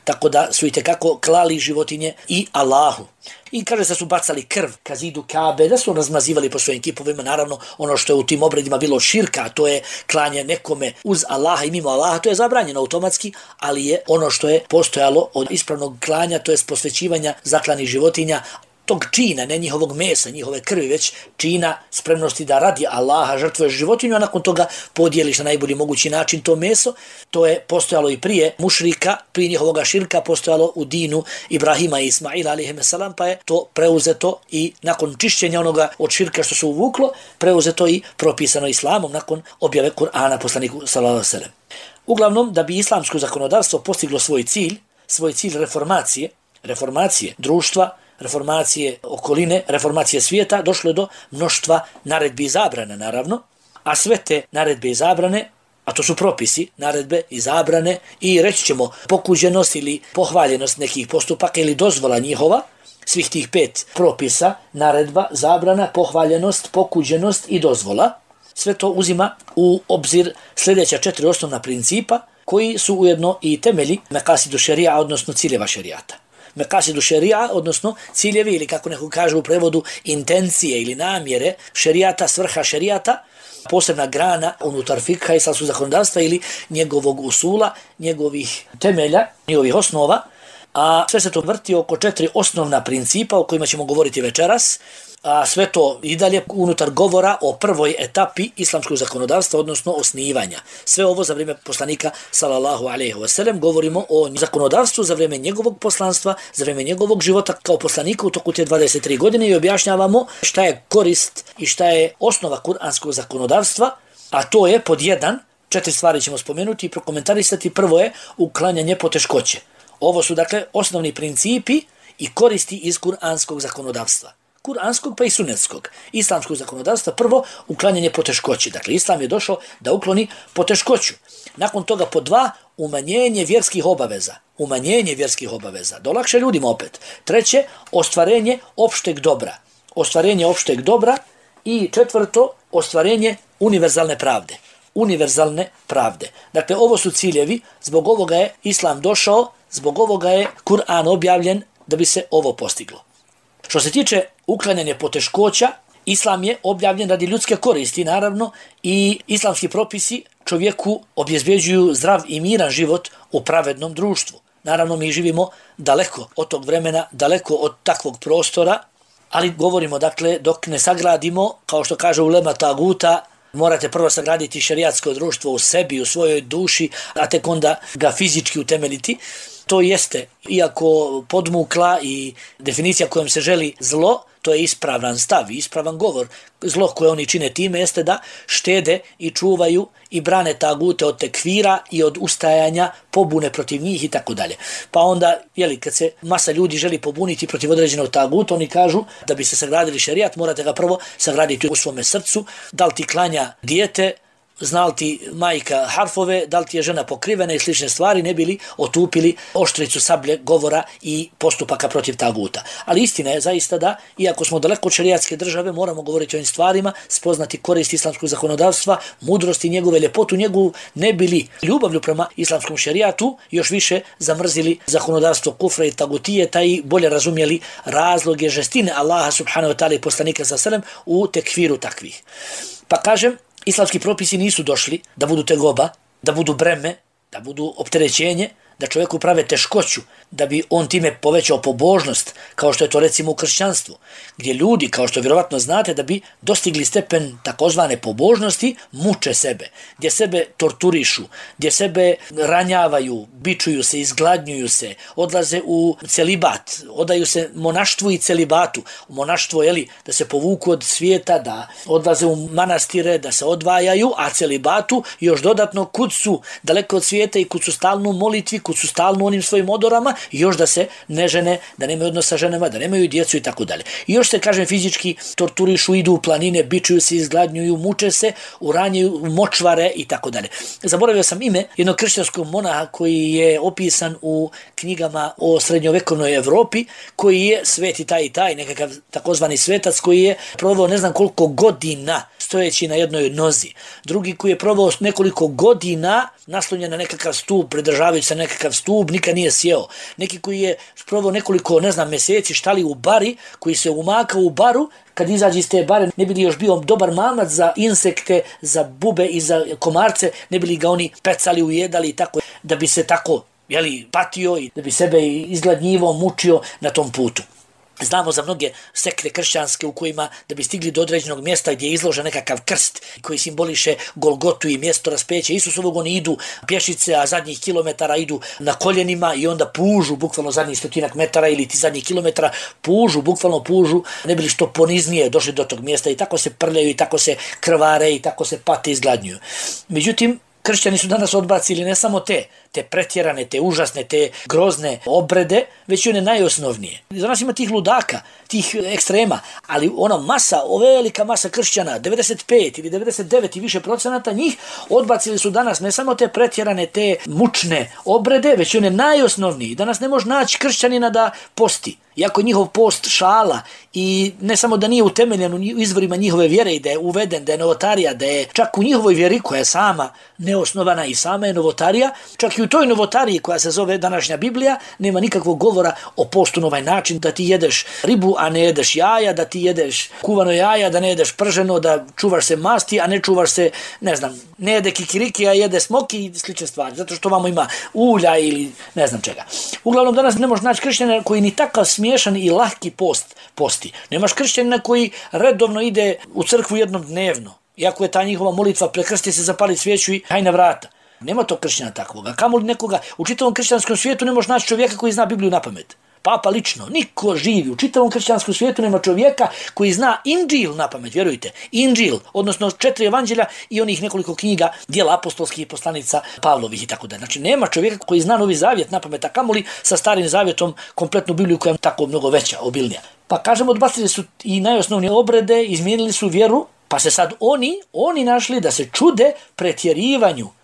Tako da su itekako klali životinje i Allahu. I kaže da su bacali krv ka zidu Kabe, da su razmazivali po svojim kipovima, naravno ono što je u tim obredima bilo širka, a to je klanje nekome uz Allaha i mimo Allaha, to je zabranjeno automatski, ali je ono što je postojalo od ispravnog klanja, to je posvećivanja zaklanih životinja, tog čina, ne njihovog mesa, njihove krvi, već čina spremnosti da radi Allaha žrtvuješ životinju, a nakon toga podijeliš na najbolji mogući način to meso. To je postojalo i prije mušrika, prije njihovoga širka, postojalo u dinu Ibrahima i Ismaila a.s. pa je to preuzeto i nakon čišćenja onoga od širka što se uvuklo, preuzeto i propisano Islamom nakon objave Kur'ana poslaniku s.a.v. Uglavnom, da bi islamsko zakonodavstvo postiglo svoj cilj reformacije društva, reformacije okoline, reformacije svijeta, došlo je do mnoštva naredbi i zabrane, naravno, a sve te naredbe i zabrane, a to su propisi, naredbe i zabrane i reći ćemo pokuđenost ili pohvaljenost nekih postupaka ili dozvola njihova, svih tih 5 propisa, naredba, zabrana, pohvaljenost, pokuđenost i dozvola, sve to uzima u obzir sljedeća 4 osnovna principa koji su ujedno i temelji mekasidu šerija, odnosno ciljeva šerijata. Mekasidu šerija, odnosno ciljevi ili kako neko kaže u prevodu intencije ili namjere šerijata, svrha šerijata, posebna grana unutar fikha islamskog zakonodavstva ili njegovog usula, njegovih temelja, njegovih osnova, a sve se to vrti oko 4 osnovna principa o kojima ćemo govoriti večeras, a sve to i dalje unutar govora o prvoj etapi islamskog zakonodavstva, odnosno osnivanja. Sve ovo za vrijeme poslanika sallallahu alejhi ve sellem, govorimo o zakonodavstvu za vrijeme njegovog poslanstva, za vrijeme njegovog života kao poslanika u toku te 23 godine i objašnjavamo šta je korist i šta je osnova kuranskog zakonodavstva, a to je pod 1, 4 stvari ćemo spomenuti i prokomentarisati. Prvo je uklanjanje poteškoće. Ovo su dakle osnovni principi i koristi iz kuranskog zakonodavstva. Kuranskog pa i sunetskog. Islamskog zakonodavstva prvo uklanjanje poteškoći. Dakle, Islam je došao da ukloni poteškoću. Nakon toga po 2, umanjenje vjerskih obaveza. Umanjenje vjerskih obaveza. Da olakša ljudima opet. 3, ostvarenje opšteg dobra. Ostvarenje opšteg dobra. I 4, ostvarenje univerzalne pravde. Univerzalne pravde. Dakle, ovo su ciljevi, zbog ovoga je Islam došao, zbog ovoga je Kur'an objavljen da bi se ovo postiglo. Što se tiče uklanjanja poteškoća, Islam je objavljen radi ljudske koristi, naravno, i islamski propisi čovjeku obezbeđuju zdrav i miran život u pravednom društvu. Naravno, mi živimo daleko od tog vremena, daleko od takvog prostora, ali govorimo, dakle, dok ne sagradimo, kao što kaže ulema taguta, morate prvo sagraditi šerijatsko društvo u sebi, u svojoj duši, a tek onda ga fizički utemeljiti. To jeste, iako podmukla i definicija kojom se želi zlo, to je ispravan stav, ispravan govor. Zlo koje oni čine time jeste da štede i čuvaju i brane tagute od tekfira i od ustajanja pobune protiv njih i tako dalje. Pa onda, kad se masa ljudi želi pobuniti protiv određenog taguta, oni kažu da bi se sagradili šerijat, morate ga prvo sagraditi u svome srcu, da li ti klanja dijete, zna li ti majka harfove, da li ti je žena pokrivena i slične stvari, ne bili otupili oštricu sablje govora i postupaka protiv taguta. Ali istina je zaista da, iako smo daleko od šerijatske države, moramo govoriti o ovim stvarima, spoznati korist islamskog zakonodavstva, mudrosti njegove, ljepotu njegovu, ne bili ljubavlju prema islamskom šerijatu, još više zamrzili zakonodavstvo kufra i tagutijeta i bolje razumjeli razloge žestine Allaha subhanahu wa ta'ala i poslanika sallallahu u tekfiru takvih. Pa kažem, islamski propisi nisu došli da budu tegoba, da budu breme, da budu opterećenje, da čovjeku prave teškoću, da bi on time povećao pobožnost, kao što je to recimo u kršćanstvu, gdje ljudi, kao što vjerovatno znate, da bi dostigli stepen takozvane pobožnosti, muče sebe, gdje sebe torturišu, gdje sebe ranjavaju, bičuju se, izgladnjuju se, odlaze u celibat, odaju se monaštvu i celibatu. U monaštvo, da se povuku od svijeta, da odlaze u manastire, da se odvajaju, a celibatu još dodatno kud su daleko od svijeta i kud su stalno u molitvi, kud su stalno onim svojim odorama, još da se ne žene, da nemaju odnosa sa ženama, da nemaju djecu i tako dalje. I još se, kažem, fizički torturišu, idu u planine, bičuju se, izgladnjuju, muče se, uranjaju močvare i tako dalje. Zaboravio sam ime jednog kršćanskog monaha koji je opisan u knjigama o srednjovekovnoj Evropi, koji je sveti taj i taj, nekakav takozvani svetac koji je proveo ne znam koliko godina stojeći na jednoj nozi. Drugi koji je proveo nekoliko godina naslonjen na nekakav stup, pridržavajući se nekakav stup, nikad nije sjeo. Neki koji je proveo nekoliko, mjeseci štali u bari, koji se umakao u baru, kad izađe iz te bare, ne bi li još bio dobar mamac za insekte, za bube i za komarce, ne bi li ga oni pecali, ujedali i tako, da bi se tako patio i da bi sebe izgladnjivo, mučio na tom putu. Znamo za mnoge sekte kršćanske u kojima da bi stigli do određenog mjesta gdje je izložen nekakav krst koji simboliše Golgotu i mjesto raspeća Isusovog, oni idu pješice, a zadnjih kilometara idu na koljenima i onda pužu, bukvalno zadnjih 100 metara ili ti zadnjih kilometara, bukvalno pužu, ne bi li što poniznije došli do tog mjesta i tako se prljaju i tako se krvare i tako se pate i izgladnjuju. Međutim, kršćani su danas odbacili ne samo te pretjerane, te užasne, te grozne obrede, već i one najosnovnije. Za nas ima tih ludaka, tih ekstrema, ali velika masa kršćana, 95 ili 99 i više procenata njih, odbacili su danas ne samo te pretjerane, te mučne obrede, već i one najosnovnije. Danas ne može naći kršćanina da posti. Iako je njihov post šala i ne samo da nije utemeljen u izvorima njihove vjere i da je uveden, da je novotarija, da je čak u njihovoj vjeri koja je sama neosnovana i sama je novotarija, čak i u toj novotariji koja se zove današnja Biblija, nema nikakvog govora o postu na ovaj način, da ti jedeš ribu, a ne jedeš jaja, da ti jedeš kuvano jaja, da ne jedeš prženo, da čuvaš se masti, a ne čuvaš se, ne jede kikiriki, a jede smoki i slične stvari, zato što vamo ima ulja ili ne znam čega. Uglavnom, danas ne možeš naći kršćanina koji ni takav smiješan i lahki posti. Nemaš kršćanina koji redovno ide u crkvu jednom dnevno, iako je ta njihova molitva prekrsti se, zapali svijeću i haj na vrata. Nema to kršćana takvoga. Kamoli nekoga, u čitavom kršćanskom svijetu ne možeš naći čovjeka koji zna Bibliju na pamet. Papa lično, niko živi u čitavom kršćanskom svijetu nema čovjeka koji zna Inđil na pamet, vjerujte. Inđil, odnosno 4 evanđelja i onih nekoliko knjiga, djela apostolskih poslanica Pavlovih i tako da. Znači nema čovjeka koji zna Novi Zavjet na pamet, a kamoli sa Starim Zavjetom kompletnu Bibliju koja je tako mnogo veća, obilnija. Pa kažemo, odbacili su i najosnovnije obrede, izmijenili su vjeru, pa se sad oni našli da se čude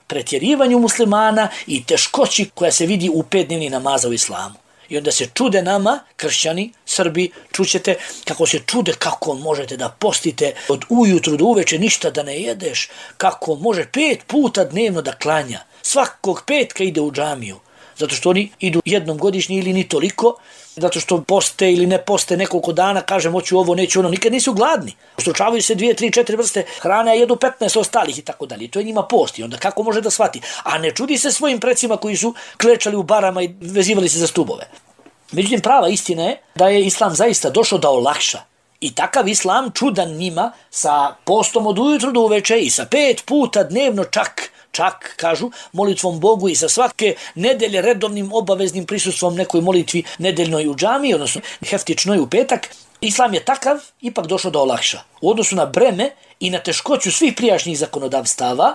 pretjerivanju muslimana i teškoći koja se vidi u 5-dnevni namaza u islamu. I onda se čude nama, kršćani, Srbi, čućete kako se čude kako možete da postite od ujutru do uveče ništa da ne jedeš, kako može 5 puta dnevno da klanja, svakog petka ide u džamiju, zato što oni idu jednom godišnje ili ni toliko, zato što poste ili ne poste nekoliko dana, kažem hoću ovo, neću ono, nikad nisu gladni. Ustručavaju se 2, 3, 4 vrste hrane, a jedu 15 ostalih i tako dalje. To je njima post i onda kako može da shvati? A ne čudi se svojim precima koji su klečali u barama i vezivali se za stubove. Međutim, prava istina je da je islam zaista došao da olakša. I takav islam čudan njima sa postom od ujutru do uveče i sa 5 puta dnevno čak, kažu, molitvom Bogu i sa svake nedelje redovnim obaveznim prisustvom nekoj molitvi nedeljnoj u džamiji, odnosno heftičnoj u petak, islam je takav ipak došao da olakša. U odnosu na breme i na teškoću svih prijašnjih zakonodavstava,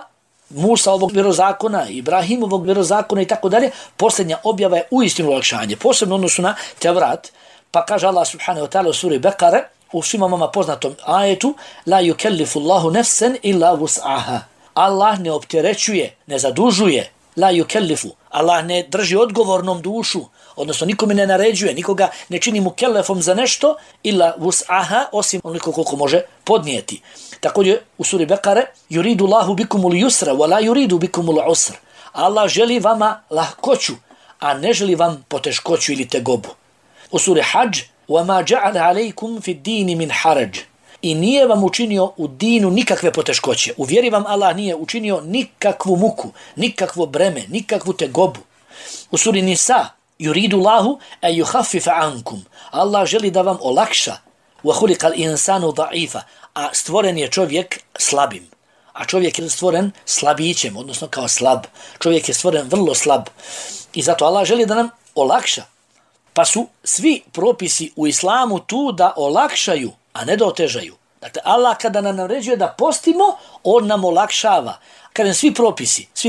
Musaovog vjerozakona, Ibrahimovog vjerozakona i tako dalje, posljednja objava je uistinu olakšanje, posebno u odnosu na Tevrat, pa kaže Allah subhanahu wa ta'ala u suri Bekare, u svima vama poznatom ajetu, la yukellifu Allahu nefsen illa vus'aha. Allah ne opterećuje, ne zadužuje, la yukellifu. Allah ne drži odgovornom dušu, odnosno nikome ne naređuje, nikoga ne čini mu kellefom za nešto, illa vus'aha, osim onoliko koliko može podnijeti. Također u suri Bekare, yuridu Allahu bikumul yusra, wa la yuridu bikumul usra. Allah želi vama lahkoću, a ne želi vam poteškoću ili tegobu. U suri Hadž, وَمَا جَعَلَ عَلَيْكُمْ فِي الدِّينِ مِنْ حَرَجٍ. I nije vam učinio u dinu nikakve poteškoće. U vjeri vam Allah nije učinio nikakvu muku, nikakvo breme, nikakvu tegobu. U suri Nisa, yuridu Allahu an yukhaffifa ankum. Allah želi da vam olakša. Wa khuliqal insanu da'ifa. A stvoren je čovjek slabim. A čovjek je stvoren slabićem, odnosno kao slab. Čovjek je stvoren vrlo slab. I zato Allah želi da nam olakša. Pa su svi propisi u islamu tu da olakšaju, a ne da otežaju. Dakle, Allah kada nam naređuje da postimo, on nam olakšava. Kada svi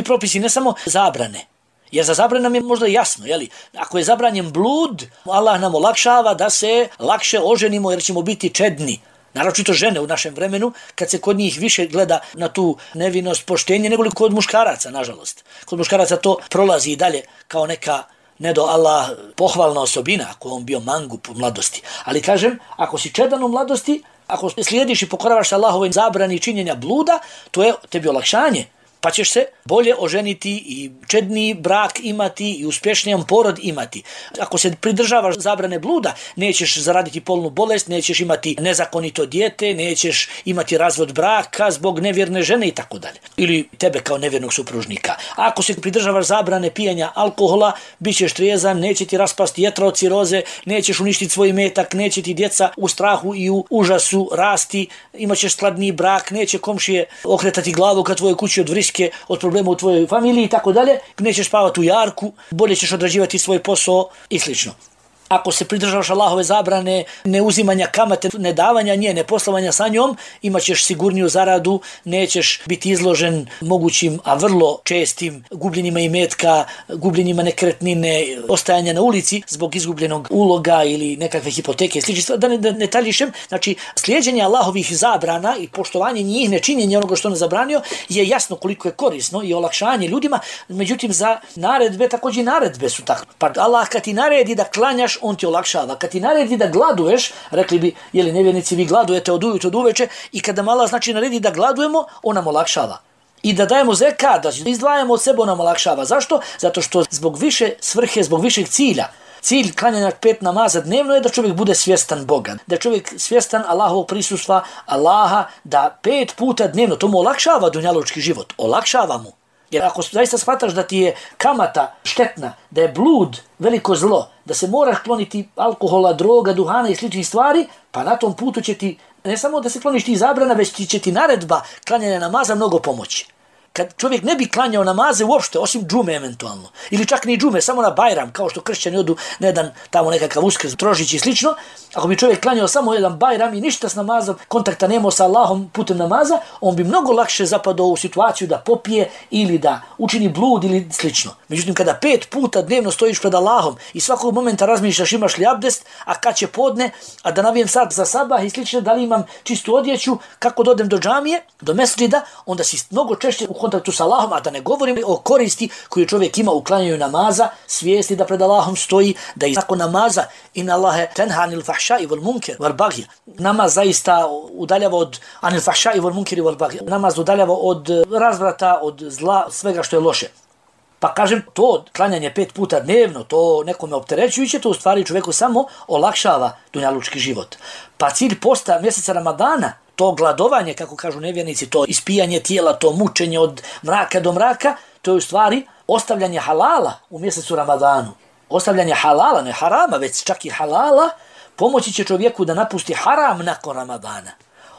propisi ne samo zabrane, jer za zabrane nam je možda jasno, jeli? Ako je zabranjen blud, Allah nam olakšava da se lakše oženimo jer ćemo biti čedni. Naročito žene u našem vremenu, kad se kod njih više gleda na tu nevinost, poštenje, nego li kod muškaraca, nažalost. Kod muškaraca to prolazi i dalje kao neka ne do Allah pohvalna osobina, ako on bio mangup u mladosti. Ali kažem, ako si čedan u mladosti, ako slijediš i pokoravaš Allahovoj zabrani činjenja bluda, to je tebi olakšanje. Pa ćeš se bolje oženiti i čedniji brak imati i uspješnijan porod imati. Ako se pridržavaš zabrane bluda, nećeš zaraditi polnu bolest, nećeš imati nezakonito dijete, nećeš imati razvod braka zbog nevjerne žene i tako dalje. Ili tebe kao nevjernog supružnika. A ako se pridržavaš zabrane pijanja alkohola, bit ćeš trijezan, neće ti raspasti jetra od ciroze, nećeš uništiti svoj metak, neće ti djeca u strahu i u užasu rasti, imat ćeš skladniji brak, neće komšije okretati glavu ka tvojoj kući od vriske, od problema u tvojoj familiji i tako dalje, nećeš spavati u jarku, bolje ćeš odrađivati svoj posao i slično. Ako se pridržavaš Allahove zabrane, ne uzimanja kamate, ne davanja nje, ne poslovanja sa njom, imat ćeš sigurniju zaradu, nećeš biti izložen mogućim, a vrlo čestim gubljenjima imetka, gubljenjima nekretnine, ostajanja na ulici zbog izgubljenog uloga ili nekakve hipoteke. Slično, da ne taljišem, znači slijeđenje Allahovih zabrana i poštovanje njih, nečinjenje onoga što on zabranio je jasno koliko je korisno i olakšanje ljudima, međutim za naredbe, također naredbe su tako. Pa Allah kad ti naredi da klanjaš, on ti olakšava. Kad ti naredi da gladuješ, rekli bi, jeli nevjernici, vi gladujete od ujutro do uveče, i kada Allah znači naredi da gladujemo, on nam olakšava. I da dajemo zekat, da izdvajamo od sebe, on nam olakšava. Zašto? Zato što zbog više svrhe, zbog višeg cilja. Cilj klanjanja 5 namaza dnevno je da čovjek bude svjestan Boga, da čovjek svjestan Allahovog prisustva, Allaha, da 5 puta dnevno, to mu olakšava dunjalučki život, olakšava mu. Jer ako zaista shvataš da ti je kamata štetna, da je blud veliko zlo, da se moraš kloniti alkohola, droga, duhana i sličnih stvari, pa na tom putu će ti, ne samo da se kloniš ti zabrana, već će ti naredba klanjanja namaza mnogo pomoći. kad čovjek ne bi klanjao namaze uopšte, osim džume eventualno, ili čak ni džume, samo na Bajram, kao što kršćani odu na jedan tamo nekakav Uskrs, Trožić i slično, ako bi čovjek klanjao samo jedan Bajram i ništa s namazom, kontakta nemao sa Allahom putem namaza, on bi mnogo lakše zapadao u situaciju da popije ili da učini blud ili slično. Međutim, kada 5 puta dnevno stojiš pred Allahom i svakog momenta razmišljaš imaš li abdest, a kad će podne, a da navijem sad za sabah i slično, da li imam čistu odjeću, kako dodem do džamije, do mesdžida, onda si mnogo češće u kontaktu sa Allahom, a da ne govorim o koristi koju čovjek ima u klanjanju namaza, svijesti da pred Allahom stoji, da i nakon namaza inna Allahe tenha anil fahšai wal munker wal baghi. Namaz zaista udaljava od anil fahšai wal munkeri wal baghi. Namaz udaljava od razvrata, od zla, svega što je loše. Pa kažem, to klanjanje 5 puta dnevno, to nekome opterećujuće, to u stvari čovjeku samo olakšava dunjalučki život. Pa cilj posta mjeseca Ramadana, to gladovanje, kako kažu nevjernici, to ispijanje tijela, to mučenje od mraka do mraka, to je u stvari ostavljanje halala u mjesecu Ramadanu. Ostavljanje halala, ne harama, već čak i halala, pomoći će čovjeku da napusti haram nakon Ramadana.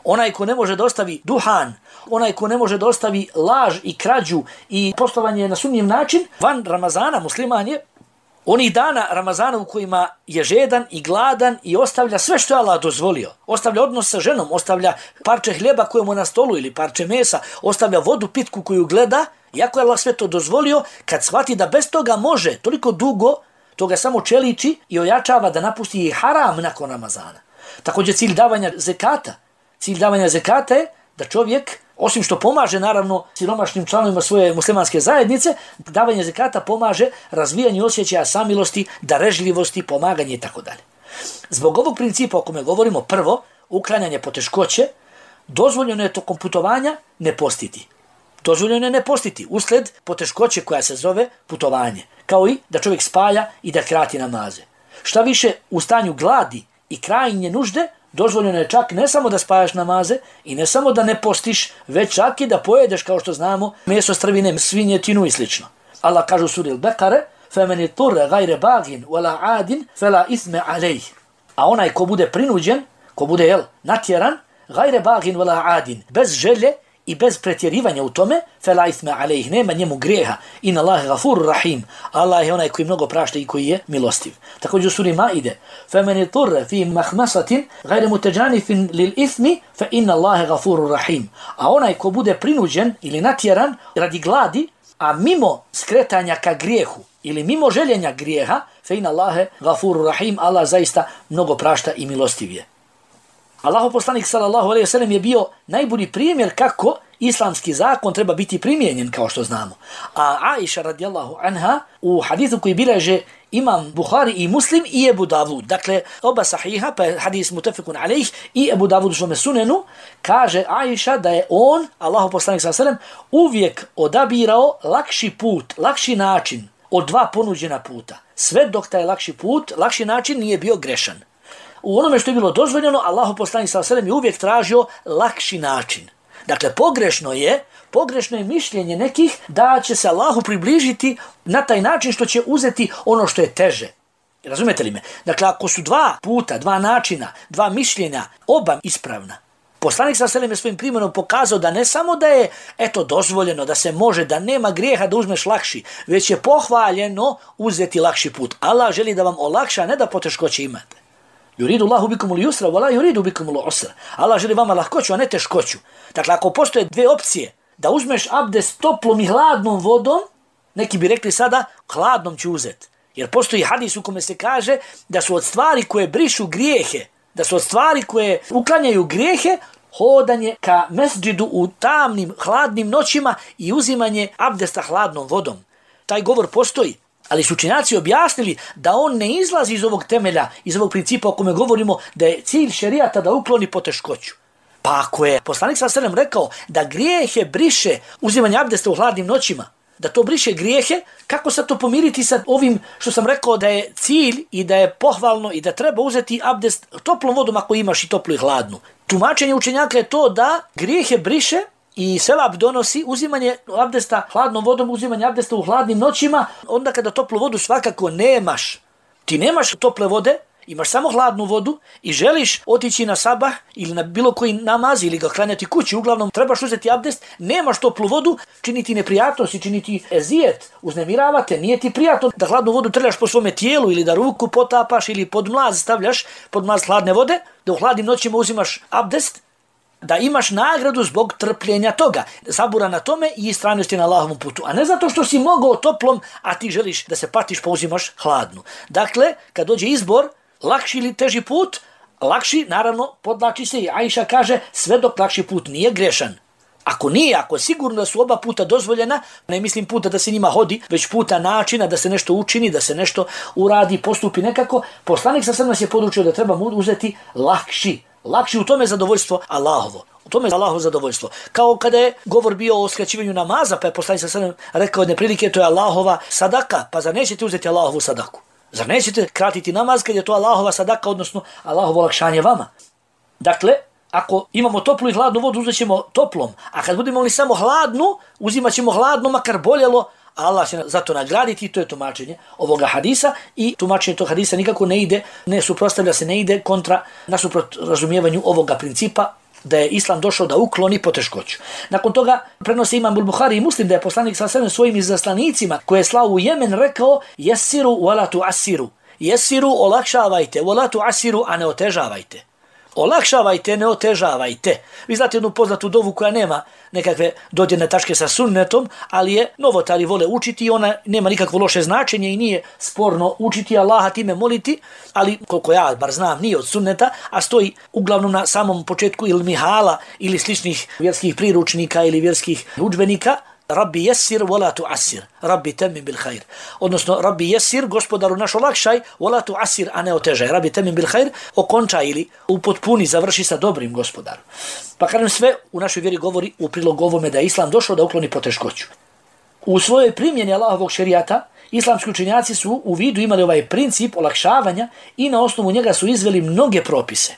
Onaj ko ne može da ostavi duhan, onaj ko ne može da ostavi laž i krađu i poslovanje na sumnjiv način, van Ramazana musliman je onih dana Ramazana u kojima je žedan i gladan i ostavlja sve što je Allah dozvolio. Ostavlja odnos sa ženom, ostavlja parče hljeba koje mu na stolu ili parče mesa, ostavlja vodu pitku koju gleda, iako je Allah sve to dozvolio, kad shvati da bez toga može toliko dugo, to ga samo čeliči i ojačava da napusti i haram nakon Ramazana. Također cilj davanja zekata. Cilj davanja zekata je da čovjek, osim što pomaže naravno siromašnim članovima svoje muslimanske zajednice, davanje zekata pomaže razvijanju osjećaja samilosti, darežljivosti, pomaganje itd. Zbog ovog principa o kome govorimo, prvo, uklanjanje poteškoće, dozvoljeno je tokom putovanja ne postiti. Dozvoljeno je ne postiti usled poteškoće koja se zove putovanje, kao i da čovjek spaja i da krati namaze. Šta više, u stanju gladi i krajnje nužde, dozvoljeno je čak ne samo da spajaš namaze i ne samo da ne postiš, već čak i da pojedeš, kao što znamo, meso strvine, svinjetinu i slično. Allah kaže u suri Al-Bekare, فَمَنِ طُرَّ غَيْرَ بَاغٍ وَلَا عَادٍ فَلَا إِثْمَ عَلَيْهِ. A onaj ko bude prinuđen, ko bude natjeran, غَيْرَ بَاغٍ وَلَا عَادٍ, bez želje i bez pretjerivanja u tome, فَلَا إِثْمَ عَلَيْهِ, nema njemu grijeha. Inna Allahe gafur rahim. Allah je onaj koji mnogo prašta i koji je milostiv. Također u suri Maide, فَمَنِ طُرَّ فِي مَحْمَسَةٍ غَيْرَ مُتَجَانِفٍ لِلْإِثْمِ فَإِنَّ اللَّهَ غَفُورٌ رَحِيمٌ. A onaj ko bude prinuđen ili natjeran radi gladi, a mimo skretanja ka grijehu ili mimo željenja grijeha, فَإِنَّ اللَّهَ غَفُورٌ رَحِيمٌ, Allah zaista mnogo prašta i milostiv je. Allahov poslanik sallallahu alejhi ve sellem je bio najbolji primjer kako islamski zakon treba biti primijenjen, kao što znamo. A Aisha radijallahu anha u hadisu koji bilježe Imam Buhari i Muslim i Ebu Davud, dakle oba sahiha, pa je hadis mutafekun alejh, i Ebu Davud u svome sunenu, kaže Aisha da je on, Allahov poslanik sallallahu alejhi ve sellem, uvijek odabirao lakši put, lakši način od 2 ponuđena puta. Sve dok taj lakši put, lakši način nije bio grešan. U onome što je bilo dozvoljeno, Allahov poslanik sallallahu alejhi ve sellem je uvijek tražio lakši način. Dakle, pogrešno je mišljenje nekih da će se Allahu približiti na taj način što će uzeti ono što je teže. Razumete li me? Dakle, ako su 2 puta, 2 načina, 2 mišljenja, oba ispravna, poslanik sallallahu alejhi ve sellem je svojim primjerom pokazao da ne samo da je dozvoljeno, da se može, da nema grijeha da uzmeš lakši, već je pohvaljeno uzeti lakši put. Allah želi da vam olakša, ne da poteškoće imate. Yuridu Allahu bikumul yusra wa la yuridu bikumul usra. Allah želi vama lahkoću, a ne teškoću. Dakle, ako postoje 2 opcije, da uzmeš abdest toplom i hladnom vodom, neki bi rekli sada, hladnom ću uzeti. Jer postoji hadis u kome se kaže da su od stvari koje brišu grijehe, da su od stvari koje uklanjaju grijehe, hodanje ka mesdžidu u tamnim, hladnim noćima i uzimanje abdesta hladnom vodom. Taj govor postoji. Ali su učenjaci objasnili da on ne izlazi iz ovog temelja, iz ovog principa o kome govorimo, da je cilj šerijata da ukloni poteškoću. Pa ako je poslanik sallallahu alejhi ve sellem rekao da grijehe briše uzimanje abdesta u hladnim noćima, da to briše grijehe, kako se to pomiriti sa ovim što sam rekao da je cilj i da je pohvalno i da treba uzeti abdest toplom vodom ako imaš i toplu i hladnu. Tumačenje učenjaka je to da grijehe briše i sevap donosi uzimanje abdesta hladnom vodom, uzimanje abdesta u hladnim noćima, onda kada toplu vodu svakako nemaš. Ti nemaš tople vode imaš samo hladnu vodu i želiš otići na sabah ili na bilo koji namaz ili ga klanjati kući, uglavnom trebaš uzeti abdest, nemaš toplu vodu, čini ti neprijatnost i čini ti ezijet, uznemiravate, nije ti prijatno da hladnu vodu trljaš po svome tijelu ili da ruku potapaš ili pod mlaz stavljaš, pod mlaz hladne vode, da u hladnim noćima uzimaš abdest, da imaš nagradu zbog trpljenja toga, sabura na tome i istrajnosti na Allahovom putu, a ne zato što si mogao toplom, a ti želiš da se patiš pa uzimaš hladnu. Dakle, kad dođe izbor, lakši ili teži put, lakši, naravno, podlači se i Ajša kaže, sve dok lakši put nije grešan. Ako nije, ako je sigurno da su oba puta dozvoljena, ne mislim puta da se njima hodi, već puta načina da se nešto učini, da se nešto uradi, postupi nekako, poslanik sa nas je podučio da treba uzeti lakši u tome zadovoljstvo Allahovo. U tome je Allahovo zadovoljstvo. Kao kada je govor bio o skraćivanju namaza, pa je poslanik sa nas rekao jedne prilike, to je Allahova sadaka, pa zar nećete uzeti Allahovu sadaku? Zar nećete kratiti namaz kad je to Allahova sadaka, odnosno Allahovo olakšanje vama? Dakle, ako imamo toplu i hladnu vodu, uzet ćemo toplom, a kad budemo imali samo hladnu, uzimat ćemo hladnu, makar boljelo, Allah će za to nagraditi, to je tumačenje ovoga hadisa i tumačenje tog hadisa nikako ne ide, ne suprotstavlja se, ne ide kontra nasuprot razumijevanju ovoga principa da je Islam došao da ukloni poteškoću. Nakon toga prenose Imam Buhari i Muslim da je poslanik sa svojim izaslanicima koje je slao u Jemen rekao jesiru wala tu'assiru. Jesiru, olakšavajte, wala tu'assiru, a ne otežavajte. Olakšavajte, ne otežavajte. Vi znate jednu poznatu dovu koja nema nekakve dodirne tačke sa sunnetom, ali je novotari vole učiti i ona nema nikakvo loše značenje i nije sporno učiti Allaha time moliti, ali koliko ja bar znam nije od sunneta, a stoji uglavnom na samom početku ili mihala ili sličnih vjerskih priručnika ili vjerskih udžbenika, Rabbi jesir, wala tu'assir. Rabbi temim bil khair. Odnosno, Rabbi jesir, gospodaru naš olakšaj, wala tu'assir, a ne otežaj. Rabbi temim bil khair, okončaj ili upotpuni, završi sa dobrim gospodaru. Pa kažem, sve u našoj vjeri govori u prilog ovome da je Islam došao da ukloni poteškoću. U svojoj primjeni Allahovog šerijata, islamski učenjaci su u vidu imali ovaj princip olakšavanja i na osnovu njega su izveli mnoge propise.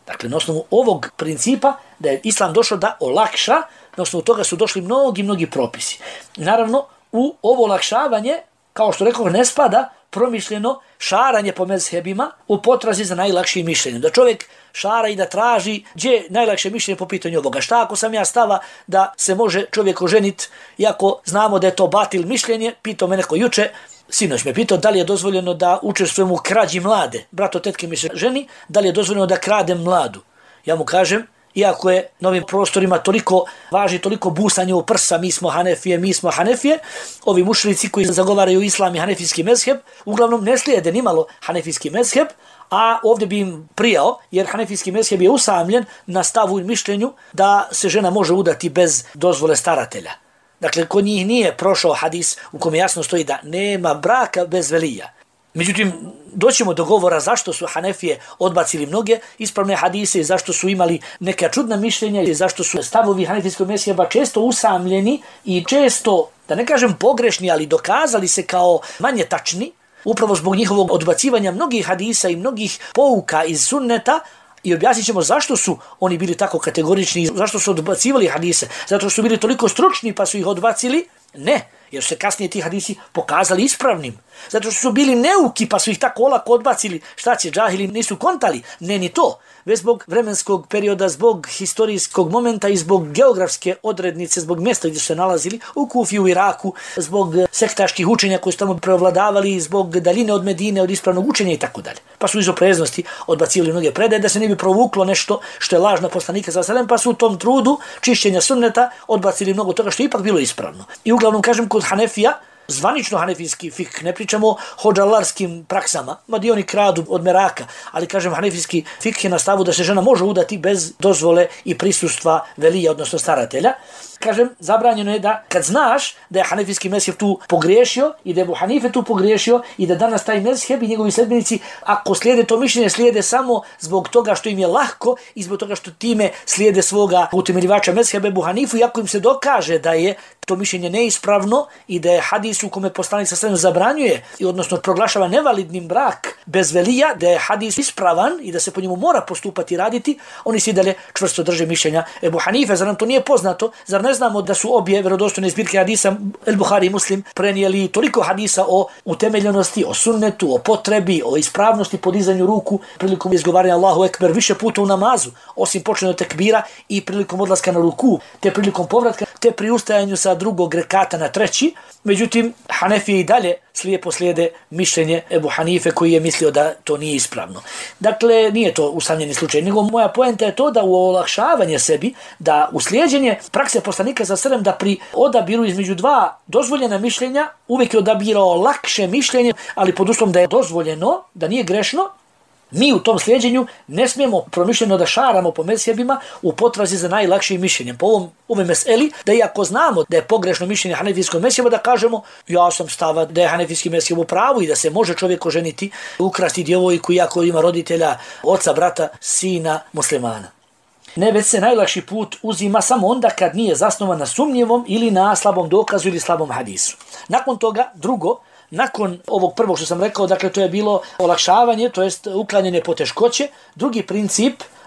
Dakle, na osnovu ovog principa da je Islam došao da olakša, na osnovu toga su došli mnogi propisi. Naravno, u ovo olakšavanje, kao što rekao, ne spada promišljeno šaranje po mezhebima u potrazi za najlakšim mišljenjem. Da čovjek šara i da traži gdje je najlakše mišljenje po pitanju ovoga. Šta ako sam ja stava da se može čovjek oženiti, iako znamo da je to batil mišljenje, pitao me neko juče, sinoć me pitao da li je dozvoljeno da učestvujem u krađi mlade. Brato tetke mi se ženi, da li je dozvoljeno da kradem mladu. Ja mu kažem, iako je na ovim prostorima toliko važi, toliko busanje u prsa, mi smo Hanefije, ovi mušrici koji zagovaraju islam i hanefijski mezheb, uglavnom ne slijede nimalo hanefijski mezheb, a ovdje bi im prijao, jer hanefijski mezheb je usamljen na stavu i mišljenju da se žena može udati bez dozvole staratelja. Dakle, kod njih nije prošao hadis u kome jasno stoji da nema braka bez velija. Međutim, doćemo do govora zašto su Hanefije odbacili mnoge ispravne hadise i zašto su imali neka čudna mišljenja i zašto su stavovi hanefijskog mezheba često usamljeni i često, da ne kažem pogrešni, ali dokazali se kao manje tačni, upravo zbog njihovog odbacivanja mnogih hadisa i mnogih pouka iz sunneta. I objasnit ćemo zašto su oni bili tako kategorični, zašto su odbacivali hadise, zato što su bili toliko stručni pa su ih odbacili? Ne, jer su se kasnije ti hadisi pokazali ispravnim. Zato što su bili neuki pa su ih tako olako odbacili, šta će, džahili nisu kontali, ne ni to. Već zbog vremenskog perioda, zbog historijskog momenta i zbog geografske odrednice, zbog mjesta gdje su se nalazili, u Kufi, u Iraku, zbog sektaških učenja koji su tamo preovladavali, zbog daljine od Medine, od ispravnog učenja i tako dalje. Pa su iz opreznosti odbacivali mnoge predaje da se ne bi provuklo nešto što je lažna poslanika sallallahu alejhi ve sellem, pa su u tom trudu čišćenja sunneta odbacili mnogo toga što je ipak bilo ispravno. I uglavnom kažem kod Hanefija, zvanično hanefijski fik, ne pričamo o hodžalarskim praksama, mada oni kradu od meraka, ali kažem hanefijski fik je na stavu da se žena može udati bez dozvole i prisustva velija, odnosno staratelja. Kažem, zabranjeno je da kad znaš da je hanefijski mezheb tu pogriješio i da je Ebu Hanife tu pogriješio i da danas taj mezheb i njegovi sledbenici, ako slijede to mišljenje, slijede samo zbog toga što im je lahko i zbog toga što time slijede svoga utemeljivača mezheba Ebu Hanifu, i ako im se dokaže da je to mišljenje neispravno i da je hadis u kome poslanik sa zabranjuje i odnosno proglašava nevalidnim brak bez velija, da je hadis ispravan i da se po njemu mora postupati i raditi, oni svi dalje čvrsto drže mišljenja Ebu Hanife. Zar nam to nije poznato? Zar ne znamo da su obje vjerodostojne zbirke hadisa El Buhari i Muslim prenijeli toliko hadisa o utemeljenosti, o sunnetu, o potrebi, o ispravnosti podizanju ruku prilikom izgovaranja Allahu Ekber više puta u namazu, osim početnog tekbira i prilikom odlaska na ruku, te prilikom povratka, te pri ustajanju sa drugog rekata na treći. Međutim, Hanefije i dalje slijepo slijede mišljenje Ebu Hanife koji je mislio da to nije ispravno. Dakle, nije to usamljeni slučaj, nego moja poenta je to da u olakšavanje sebi, da u slijeđenje prakse poslanika sa selem da pri odabiru između dva dozvoljena mišljenja uvijek je odabirao lakše mišljenje, ali pod uslovom da je dozvoljeno, da nije grešno. Mi u tom slijeđenju ne smijemo promišljeno da šaramo po mezhebima u potrazi za najlakšim mišljenjem. Po ovoj meseli, da iako znamo da je pogrešno mišljenje hanefijskog mezheba, da kažemo ja sam stava da je hanefijski mezheb u pravu i da se može čovjek oženiti, ukrasti djevojku iako ima roditelja, oca, brata, sina muslimana. Ne, već se najlakši put uzima samo onda kad nije zasnovan na sumnjivom ili na slabom dokazu ili slabom hadisu. Nakon toga, drugo, nakon ovog prvog što sam rekao, dakle to je bilo olakšavanje, to jest uklanjanje poteškoće.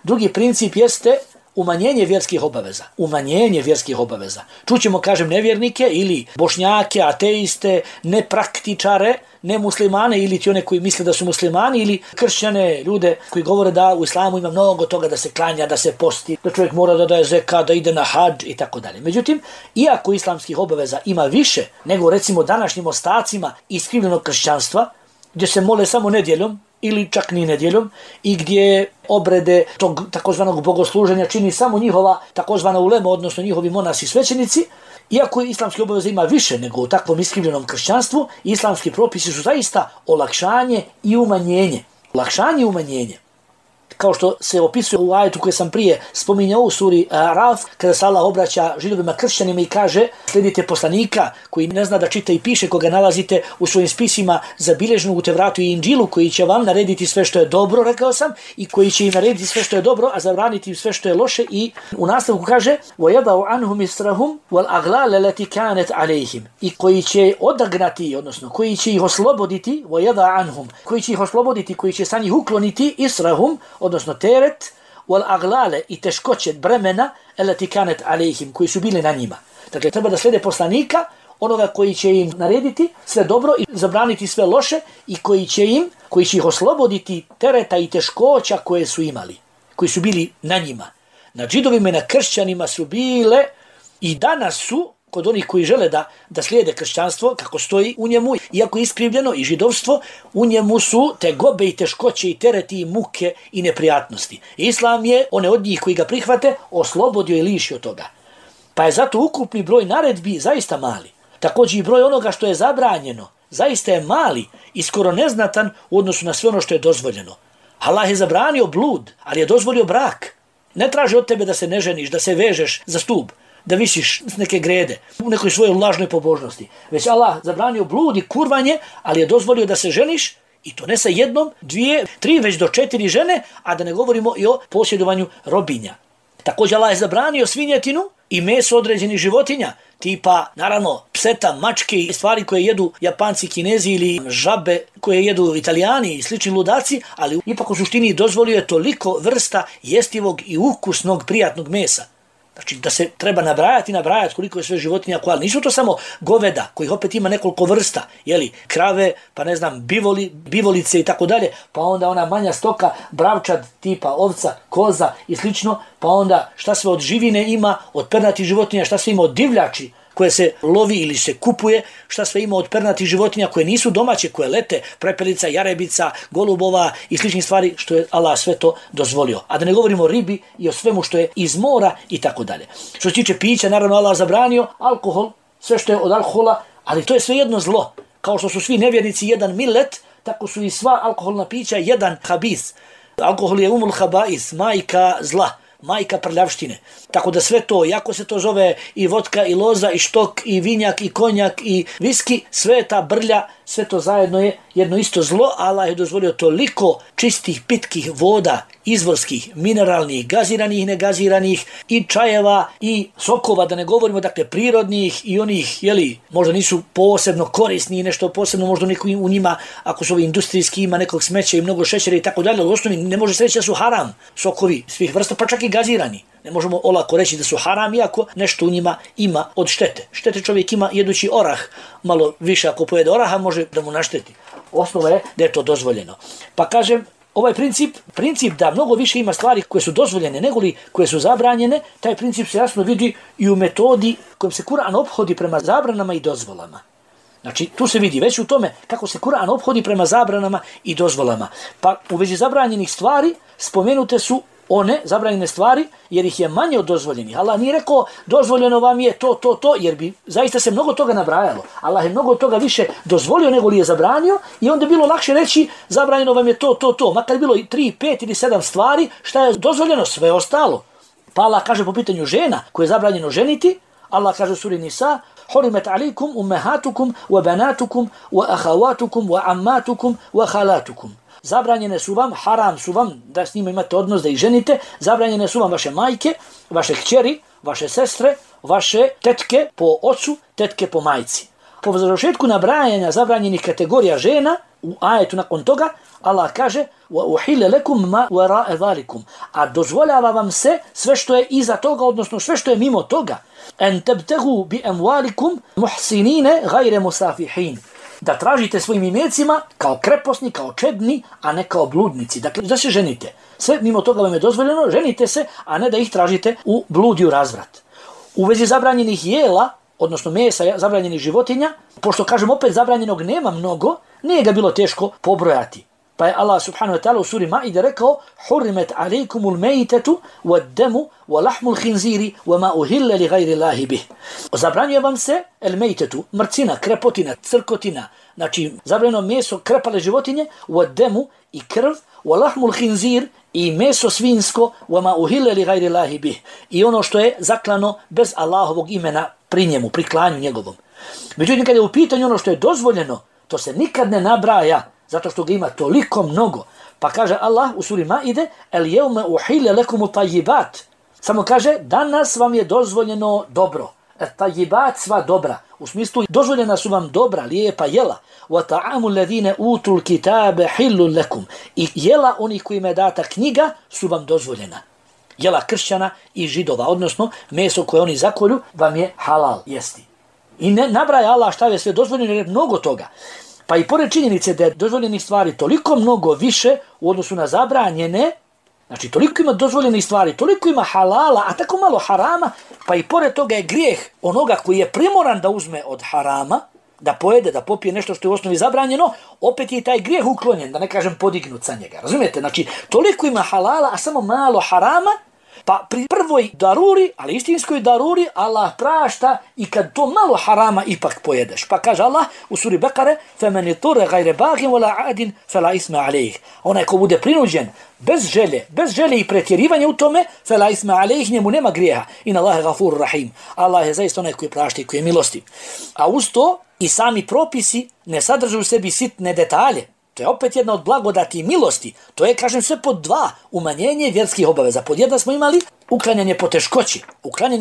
Drugi princip jeste umanjenje vjerskih obaveza. Umanjenje vjerskih obaveza. Čućemo, kažem, nevjernike ili bošnjake, ateiste, nepraktičare, nemuslimane ili ti one koji misle da su muslimani ili kršćane, ljude koji govore da u islamu ima mnogo toga da se klanja, da se posti, da čovjek mora da daje zekat, da ide na hadž i tako dalje. Međutim, iako islamskih obaveza ima više nego recimo današnjim ostacima iskrivljenog kršćanstva, gdje se mole samo nedjeljom ili čak ni nedjeljom i gdje obrede tog takozvanog bogosluženja čini samo njihova takozvana ulema, odnosno njihovi monasi svećenici, iako islamske obaveze ima više nego u takvom iskrivljenom kršćanstvu, islamski propisi su zaista olakšanje i umanjenje. Olakšanje i umanjenje. Kao što se opisuje u ajetu koje sam prije spominjao u suri Raf, kada se Allah obraća židovima kršćanima i kaže slijedite poslanika koji ne zna da čita i piše, koga nalazite u svojim spisima zabilježenu u Tevratu i Inđilu, koji će vam narediti sve što je dobro, rekao sam, i koji će im narediti sve što je dobro, a zabraniti im sve što je loše. I u nastavku kaže وَيَدَعُ عَنْهُمْ إِسْرَهُمْ وَالْأَغْلَالَ الَّتِي كَانَتْ عَلَيْهِمْ, i koji će odagnati, odnosno koji će ih osloboditi, وَيَدَعُ عَنْهُمْ, koji će ih osloboditi, koji će sa njih ukloniti إِسْرَهُمْ, odnosno teret, wal aglale i teškoće bremena elati kanet alejhim, koji su bili na njima. Dakle, treba da slijede poslanika, onoga koji će im narediti sve dobro i zabraniti sve loše i koji će ih osloboditi tereta i teškoća koje su imali, koji su bili na njima. Na židovima i na kršćanima su bile i danas su, kod onih koji žele da slijede kršćanstvo, kako stoji u njemu, iako je iskrivljeno i židovstvo, u njemu su tegobe i teškoće i tereti i muke i neprijatnosti. Islam je one od njih koji ga prihvate oslobodio i lišio toga. Pa je zato ukupni broj naredbi zaista mali. Također i broj onoga što je zabranjeno zaista je mali i skoro neznatan u odnosu na sve ono što je dozvoljeno. Allah je zabranio blud, ali je dozvolio brak. Ne traži od tebe da se ne ženiš, da se vežeš za stub, da visiš s neke grede, u nekoj svojoj lažnoj pobožnosti. Već Allah zabranio blud i kurvanje, ali je dozvolio da se ženiš, i to ne sa jednom, 2, 3, već do 4 žene, a da ne govorimo i o posjedovanju robinja. Također Allah je zabranio svinjetinu i meso određenih životinja, tipa, naravno, pseta, mačke i stvari koje jedu Japanci, Kinezi ili žabe koje jedu Italijani i slični ludaci, ali ipak u suštini dozvolio je toliko vrsta jestivog i ukusnog prijatnog mesa. Znači da se treba nabrajati koliko je sve životinja koja, nisu to samo goveda, kojih opet ima nekoliko vrsta, jeli, krave, pa ne znam, bivolice i tako dalje, pa onda ona manja stoka, bravčad tipa ovca, koza i slično, pa onda šta sve od živine ima, od pernatih životinja, šta sve ima od divljači koje se lovi ili se kupuje, šta sve ima od pernatih životinja koje nisu domaće, koje lete, prepelica, jarebica, golubova i sličnih stvari, što je Allah sve to dozvolio. A da ne govorimo o ribi i o svemu što je iz mora i tako dalje. Što se tiče pića, naravno Allah zabranio alkohol, sve što je od alkohola, ali to je sve jedno zlo. Kao što su svi nevjernici jedan millet, tako su i sva alkoholna pića jedan habis. Alkohol je umul habais, majka zla, majka prljavštine. Tako da sve to, jako se to zove i vodka, i loza, i štok, i vinjak, i konjak, i viski, sve je ta brlja, sve to zajedno je jedno isto zlo. Allah je dozvolio toliko čistih, pitkih voda, izvorskih, mineralnih, gaziranih, negaziranih, i čajeva, i sokova, da ne govorimo, dakle, prirodnih i onih, jeli, možda nisu posebno korisni i nešto posebno, možda neko u njima, ako su ovi industrijski, ima nekog smeća i mnogo šećera i tako dalje, u osnovi ne može se reći da su haram sokovi svih vrsta, pa čak i gazirani. Ne možemo olako reći da su haram, iako nešto u njima ima od štete. Štete čovjek ima jedući orah, malo više ako pojede oraha može da mu našteti. Osnova je da je to dozvoljeno. Pa kažem, ovaj princip da mnogo više ima stvari koje su dozvoljene nego li koje su zabranjene, taj princip se jasno vidi i u metodi kojom se Kur'an ophodi prema zabranama i dozvolama. Znači, tu se vidi već u tome kako se Kur'an ophodi prema zabranama i dozvolama. Pa u vezi zabranjenih stvari spomenute su one zabranjene stvari jer ih je manje od dozvoljenih. Allah nije rekao dozvoljeno vam je to, jer bi zaista se mnogo toga nabrajalo. Allah je mnogo toga više dozvolio nego li je zabranio i onda je bilo lakše reći zabranjeno vam je to. Makar je bilo 3, 5 ili 7 stvari, šta je dozvoljeno? Sve ostalo. Pa Allah kaže po pitanju žena koje je zabranjeno ženiti, Allah kaže u suri Nisa: Hurimet alikum ummahatukum wa banatukum wa akhawatukum wa ammatukum wa khalatukum. Zabranjene su vam, haram su vam da s njima imate odnos, da ih ženite, zabranjene su vam vaše majke, vaše kćeri, vaše sestre, vaše tetke po ocu, tetke po majci. Po završetku nabrajanja zabranjenih kategorija žena, u ajetu nakon toga, Allah kaže: وَأُحِلَ لَكُمْ مَا وَرَاءَ ذَلِكُمْ. A dozvoljava vam se sve što je iza toga, odnosno sve što je mimo toga. أَنْ تَبْتَغُوا بِأَمْوَالِكُمْ مُحْسِنِينَ غَيْرَ مُسَافِحِينَ. Da tražite svojim imecima kao kreposni, kao čedni, a ne kao bludnici. Dakle, da se ženite. Sve mimo toga vam je dozvoljeno, ženite se, a ne da ih tražite u blud i u razvrat. U vezi zabranjenih jela, odnosno mesa zabranjenih životinja, pošto kažem opet zabranjenog nema mnogo, nije ga bilo teško pobrojati. Pa je Allah subhanahu wa ta'ala u suri Maide rekao: Hurrimet alejkumul mejtetu wad demu wa lahmul khinziri wa ma uhilla li gajri Allahi bih. Zabranjuje vam se el mejtetu, mrcina, krepotina, crkotina, znači zabranjeno meso krepale životinje, wad demu i krv, wa lahmul khinzir i meso svinsko, wa ma uhilla li gajri Allahi bih. I ono što je zaklano bez Allahovog imena pri njemu, pri klanju njegovom. Međutim, kada je u pitanju ono što je dozvoljeno, to se nikad ne nabraja, zato što ga ima toliko mnogo. Pa kaže Allah u suri Maide: El jevme uhile lekumu tajibat. Samo kaže, danas vam je dozvoljeno dobro. Tajibat, sva dobra. U smislu, dozvoljena su vam dobra, lijepa jela. Wa ta'amu ladine utul kitabe hillun lekum. I jela onih kojima je data knjiga su vam dozvoljena. Jela kršćana i židova, odnosno meso koje oni zakolju vam je halal jesti. I ne nabraja Allah šta je sve dozvoljeno, jer je mnogo toga. Pa i pored činjenice da je dozvoljenih stvari toliko mnogo više u odnosu na zabranjene, znači toliko ima dozvoljenih stvari, toliko ima halala, a tako malo harama, pa i pored toga je grijeh onoga koji je primoran da uzme od harama, da pojede, da popije nešto što je u osnovi zabranjeno, opet je taj grijeh uklonjen, da ne kažem podignut sa njega. Razumijete? Znači toliko ima halala, a samo malo harama, pa pri prvoj daruri, ali istinskoj daruri, Allah prašta i kad to malo harama ipak pojedeš. Pa kaže Allah u suri Bekare: فَمَنِ طُرَ غَيْرَ بَاغٍ وَلَا عَادٍ فَلَا إِثْمَ عَلَيْهِ. Onaj ko bude prinuđen bez želje i pretjerivanja u tome, فَلَا إِثْمَ عَلَيْهِ, njemu nema grijeha. In Allah je gafur rahim. Allah je zaista onaj koji prašta i koji je milostiv. A uz to i sami propisi ne sadrže u sebi sitne detalje. To je opet jedna od blagodati i milosti. To je, kažem, sve pod 2, umanjenje vjerskih obaveza. Pod 1 smo imali uklanjanje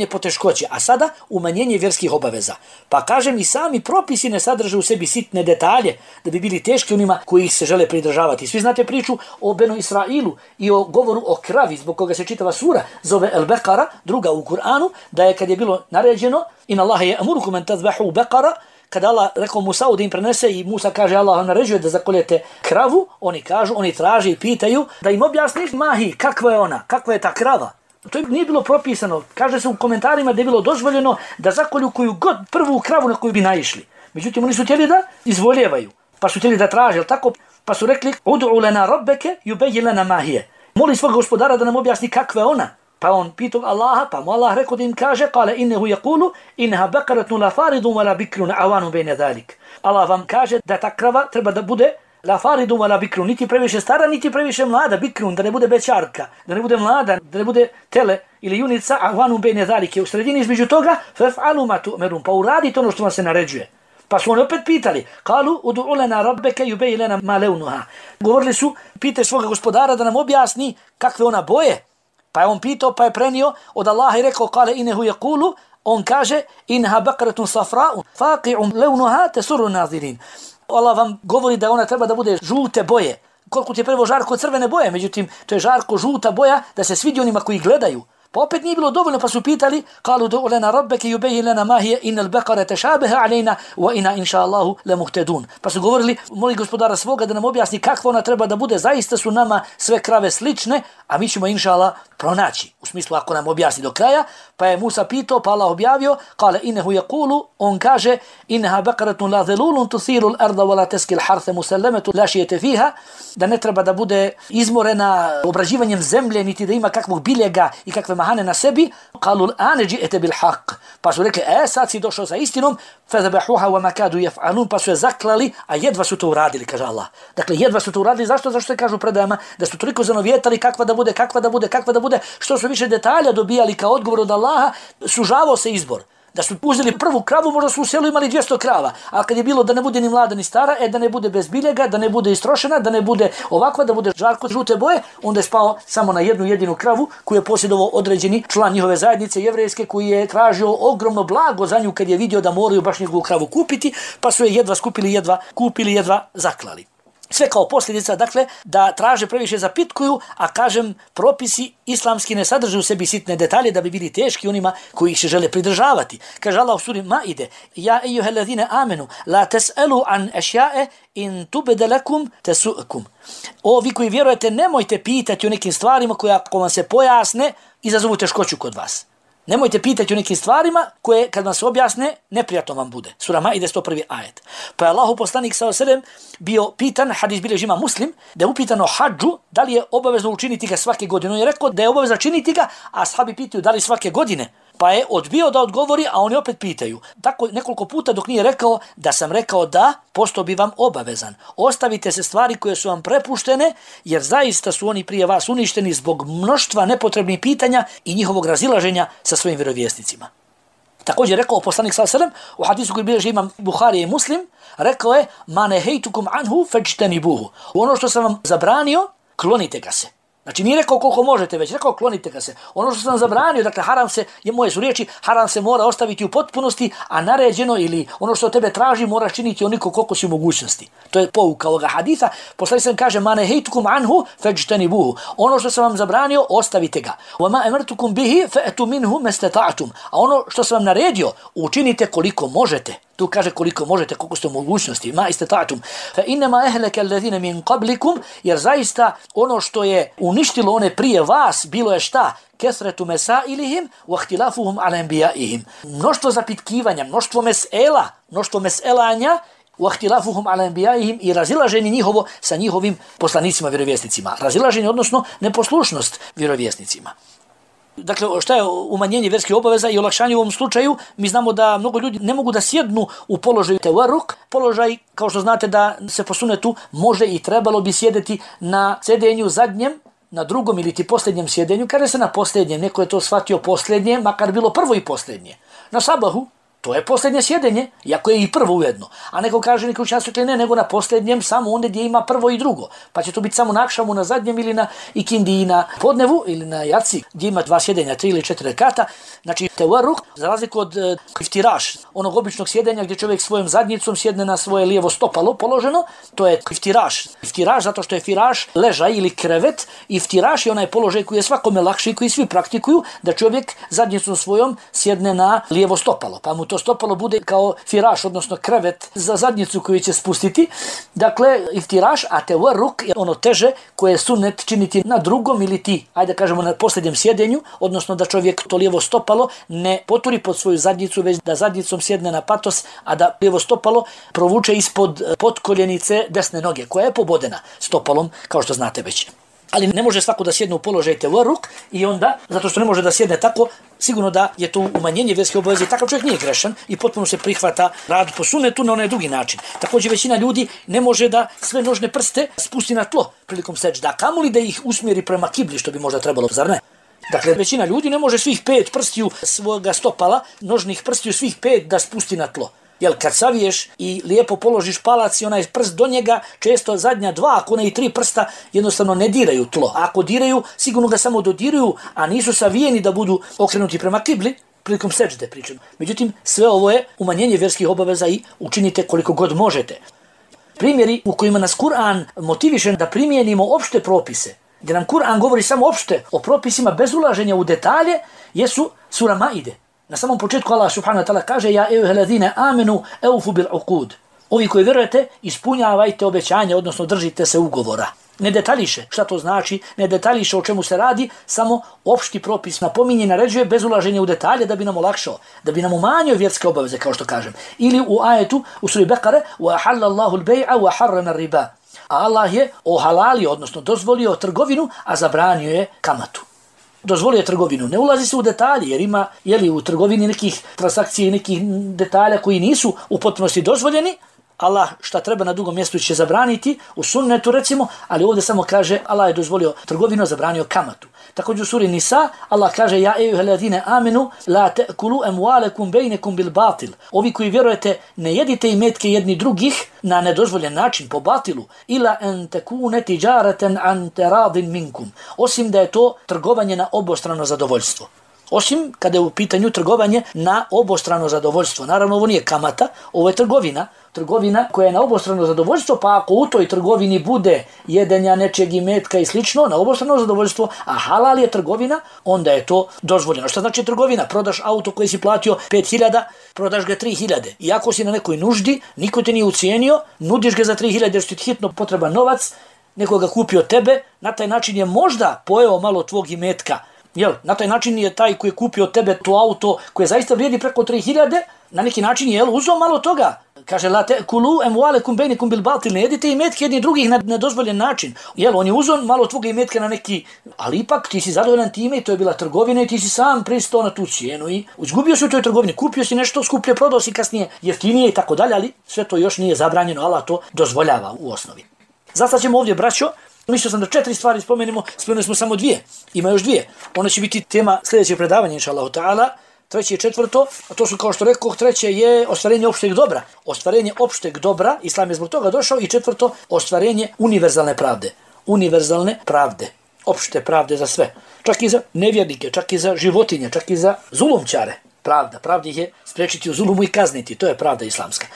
poteškoći, a sada umanjenje vjerskih obaveza. Pa kažem, i sami propisi ne sadrže u sebi sitne detalje da bi bili teški onima koji se žele pridržavati. Svi znate priču o Benu Israilu i o govoru o kravi, zbog koga se čitava sura zove El Bekara, druga u Kur'anu, da je kad je bilo naređeno: In Allahe je amurukum en tazbahu Bekara, kada Allah rekao Musa'u da im prenese i Musa kaže Allah naređuje da zakoljete kravu, oni traže i pitaju da im objasni mahi, kakva je ona, kakva je ta krava. To nije bilo propisano. Kaže se u komentarima da je bilo dozvoljeno da zakolju koju god prvu kravu na koju bi naišli. Međutim, oni su htjeli da izvoljevaju, pa su htjeli da traže, tako? Pa su rekli: Ud'u lana rabbeke yubayyin lana ma hiya. Moli svog gospodara da nam objasni kakva je ona. Pa on pitao Allaha, pa mu Allah rekao da im kaže: Kale innehu yaqulu innaha baqaratun la faridun wala bikrun awanun bayna zalik. Allah vam kaže da ta krava treba da bude la faridun wala bikrun, niti previše stara, niti previše mlada, bikrun, da ne bude bećarka, da ne bude mlada, da ne bude tele ili junica, awanun bayna zalik. U sredini između toga fa'alu ma tu'marun, pa uradite ono što vam se naređuje. Pa su oni opet pitali: Kalu ud'u lana rabbeke yubayyin lana ma lawnuha. Govorili su: Pitaj svoga gospodara da nam objasni kakve ona boje. Pa je on pitao, pa je prenio od Allaha i rekao: Kale innehu yaqulu, on kaže: Innaha baqaratun safra'un faqi'un lawnuha tasurru nazirin. Allah vam govori da ona treba da bude žute boje. Koliko ti je prvo žarko crvene boje, međutim to je žarko žuta boja da se svidi onima koji gledaju. Pa opet nije bilo dovoljno, pa su pitali, kalu du'u lana rabbeke yubayyin lana ma hiya innal baqara tashabaha alayna wa inna insha Allahu lamuhtadun. Pa su govorili, moli gospodara svoga da nam objasni kakva ona treba da bude, zaista su nama sve krave slične, a mi ćemo insha Allah pronaći. U smislu ako nam objasni do kraja, pa je Musa pitao, pa Allah objavio, kale innehu yaqulu, on kaže, innaha baqaratun la dhalulun tuthiru al-arda wa la taski al-hartha musallamatu la shiyata fiha, da ne treba da bude izmorena obrađivanjem zemlje, niti da ima kakvog biljega i kakve mahane na sebi. Kalu l'ane ji'ete bil haq. Pa su rekli, sad si došao sa istinom, fadhabahuha wa ma kadu yaf'alun, pa su je zaklali, a jedva su to uradili, kaže Allah. Dakle, jedva su to uradili, zašto se kažu predajama, da su toliko zanovjetali kakva da bude, što su više detalja dobijali kao odgovor od Allaha, sužavao se izbor. Da su uzeli prvu kravu, možda su u selu imali 200 krava, a kad je bilo da ne bude ni mlada ni stara, da ne bude bez biljega, da ne bude istrošena, da ne bude ovakva, da bude žarko žute boje, onda je spao samo na jednu jedinu kravu koju je posjedovao određeni član njihove zajednice jevrejske, koji je tražio ogromno blago za nju kad je vidio da moraju baš njegovu kravu kupiti, pa su je jedva skupili, jedva kupili, jedva zaklali. Sve kao posljedica, dakle, da traže previše zapitkuju, a kažem, propisi islamski ne sadrže u sebi sitne detalje da bi bili teški onima koji ih se žele pridržavati. Kaže Allah u suri Maide, ja ejuhellazine amenu, la tes'elu an ešja'e in tubede lekum tesu'kum. O, vi koji vjerujete, nemojte pitati o nekim stvarima koje ako vam se pojasne, izazovu teškoću kod vas. Nemojte pitati o nekim stvarima koje kad vam se objasne neprijatno vam bude. Sura Maide 101. ajet. Pa je Allahu poslanik s.a.v. bio pitan, hadis bilježi Imam Muslim, da je upitano hadžu da li je obavezno učiniti ga svake godine. On je rekao da je obavezno činiti ga, a ashabi pitaju da li svake godine. Pa je odbio da odgovori, a oni opet pitaju. Tako nekoliko puta dok nije rekao da sam rekao da, postao bi vam obavezan. Ostavite se stvari koje su vam prepuštene, jer zaista su oni prije vas uništeni zbog mnoštva nepotrebnih pitanja i njihovog razilaženja sa svojim vjerovjesnicima. Također rekao poslanik s.a.v. u hadisu koji bilježi Imam Buhari i Muslim, rekao je, ma nehejtukum anhu fajtanibuhu. Ono što sam vam zabranio, klonite ga se. Znači nije rekao koliko možete, već rekao klonite ga se. Ono što sam zabranio, dakle haram se, moje su riječi, haram se mora ostaviti u potpunosti, a naređeno ili ono što od tebe traži moraš činiti onoliko koliko si u mogućnosti. To je pouka ovoga haditha. Poslanik sam kaže, ma nehejtukum anhu fajtanibuhu. Ono što sam vam zabranio, ostavite ga. Wa ma amartukum bihi fa'tu minhu mastata'tum. A ono što sam vam naredio, učinite koliko možete. Tu kaže koliko možete, koliko ste u mogućnosti. Ma istata'tum. Fa innama ahlaka alladhina min qablikum, jer zaista ono što je uništilo one prije vas, bilo je šta? Kesretu mesailihim wa ihtilafuhum ala anbiya'ihim. Mnoštvo zapitkivanja, mnoštvo meselanja, wa ihtilafuhum ala anbiya'ihim i razilaženje njihovo sa njihovim poslanicima, vjerovjesnicima. Razilaženje, odnosno neposlušnost vjerovjesnicima. Dakle, šta je umanjenje vjerskih obaveza i olakšanje u ovom slučaju? Mi znamo da mnogo ljudi ne mogu da sjednu u položaju tevaruk. Položaj, kao što znate da se po sunetu može i trebalo bi sjedeti na sjedenju zadnjem, na drugom ili ti posljednjem sjedenju. Kaže se na posljednjem, neko je to shvatio posljednje, makar bilo prvo i posljednje. Na sabahu, to je posljednje sjedenje, iako je i prvo ujedno. A neko kaže, neko učinjaci ne, nego na posljednjem, samo onda gdje ima prvo i drugo. Pa će to biti samo na akšamu, na zadnjem ili na ikindi i na podnevu ili na jaci, gdje ima 2 sjedenja, 3 ili 4 rekata. Znači, tevaruk, za razliku od iftiraš, onog običnog sjedenja gdje čovjek svojom zadnjicom sjedne na svoje lijevo stopalo položeno, to je iftiraš. Iftiraš zato što je firaš ležaj ili krevet. Iftiraš je onaj položaj koji je svakome lakši, koji svi praktikuju, da čovjek zadnjicom svojom sjedne na lijevo stopalo. Pa mu to stopalo bude kao firaš, odnosno krevet za zadnjicu koju će spustiti. Dakle, iftiraš, a tevaruk je ono teže koje je sunnet činiti na drugom ili ti, ajde kažemo na posljednjem sjedenju, odnosno da čovjek to lijevo stopalo ne poturi pod svoju zadnjicu, već da zadnjicom sjedne na patos, a da lijevo stopalo provuče ispod potkoljenice desne noge, koja je pobodena stopalom, kao što znate već. Ali ne može svako da sjedne u položaj tevaruk i onda, zato što ne može da sjedne tako, sigurno da je to umanjenje vjerske obaveze. Takav čovjek nije grešan i potpuno se prihvata rad po sunnetu na onaj drugi način. Također većina ljudi ne može da sve nožne prste spusti na tlo prilikom seđda, kamoli da ih usmjeri prema kibli, što bi možda trebalo, zar ne? Dakle, većina ljudi ne može svih 5 prstiju svoga stopala, nožnih prstiju svih 5 da spusti na tlo. Jel, kad saviješ i lijepo položiš palac i onaj prst do njega, često zadnja 2, ako ne i 3 prsta, jednostavno ne diraju tlo. A ako diraju, sigurno ga samo dodiruju, a nisu savijeni da budu okrenuti prema kibli, prilikom seđde pričam. Međutim, sve ovo je umanjenje vjerskih obaveza i učinite koliko god možete. Primjeri u kojima nas Kur'an motiviše da primijenimo opšte propise, gdje nam Kur'an govori samo opšte o propisima bez ulaženja u detalje, jesu sura Maide. Na samom početku Allah subhanahu wa ta'ala kaže: Ja ejuheladine amenu eufu bil uqud. Ovi koji vjerujete, ispunjavajte obećanje, odnosno držite se ugovora. Ne detaljiše šta to znači, ne detaljiše o čemu se radi, samo opšti propis napominje i naređuje bez ulaženja u detalje da bi nam olakšao, da bi nam umanjio vjerske obaveze, kao što kažem. Ili u ajetu, u suri Bekare: وَأَحَلَّ اللَّهُ الْبَيْعَ وَحَرَّمَ الرِّبَا. A Allah je ohalalio, odnosno dozvolio trgovinu, a zabranio je kamatu. Dozvolio je trgovinu. Ne ulazi se u detalje, jer ima u trgovini nekih transakcija i nekih detalja koji nisu u potpunosti dozvoljeni. Allah šta treba na drugom mjestu će zabraniti, u sunnetu recimo, ali ovdje samo kaže Allah je dozvolio trgovinu, zabranio kamatu. Također u suri Nisa Allah kaže: Ja ejuheladine amenu la te'kulu emwalekum bejnekum bil batil. Ovi koji vjerujete, ne jedite imetke jedni drugih na nedozvoljen način, po batilu. Ila en tekune tiđaraten an teradin minkum. Osim da je to trgovanje na obostrano zadovoljstvo. Osim kada je u pitanju trgovanje na obostrano zadovoljstvo. Naravno, ovo nije kamata, ovo je trgovina. Trgovina koja je na obostrano zadovoljstvo, pa ako u toj trgovini bude jedenja nečeg imetka i slično, na obostrano zadovoljstvo, a halal je trgovina, onda je to dozvoljeno. Šta znači trgovina? Prodaš auto koji si platio 5.000, prodaš ga 3.000. Iako si na nekoj nuždi, niko te nije ucijenio, nudiš ga za 3.000 jer što ti hitno potreban novac, neko ga kupio tebe, na taj način je možda pojeo malo tvog imetka. Na taj način je taj koji je kupio tebe to auto koje zaista vrijedi preko 3.000, na neki način je uzeo malo toga. Kaže: La te'kulu emwalekum bejnekum bil batil. Ne jedite imetke jedni drugih na nedozvoljen način. On je uzeo malo tvoga imetka na neki, ali ipak ti si zadovoljan time i to je bila trgovina i ti si sam pristao na tu cijenu i izgubio si u toj trgovini. Kupio si nešto skuplje, prodao si kasnije jeftinije i tako dalje, ali sve to još nije zabranjeno. Allah to dozvoljava u osnovi. Zasad ćemo ovdje, braćo, mislio sam da 4 stvari spomenemo smo samo 2. Ima još 2. Ona će biti tema sljedećeg predavanja, inšallahu ta'ala. 3. i 4. A to su, kao što rekoh, 3. je ostvarenje opšteg dobra. Ostvarenje opšteg dobra, Islam je zbog toga došao. I 4. ostvarenje univerzalne pravde. Univerzalne pravde. Opšte pravde za sve. Čak i za nevjernike, čak i za životinje, čak i za zulumčare. Pravda ih je spriječiti u zulumu i kazniti. To je pravda islamska.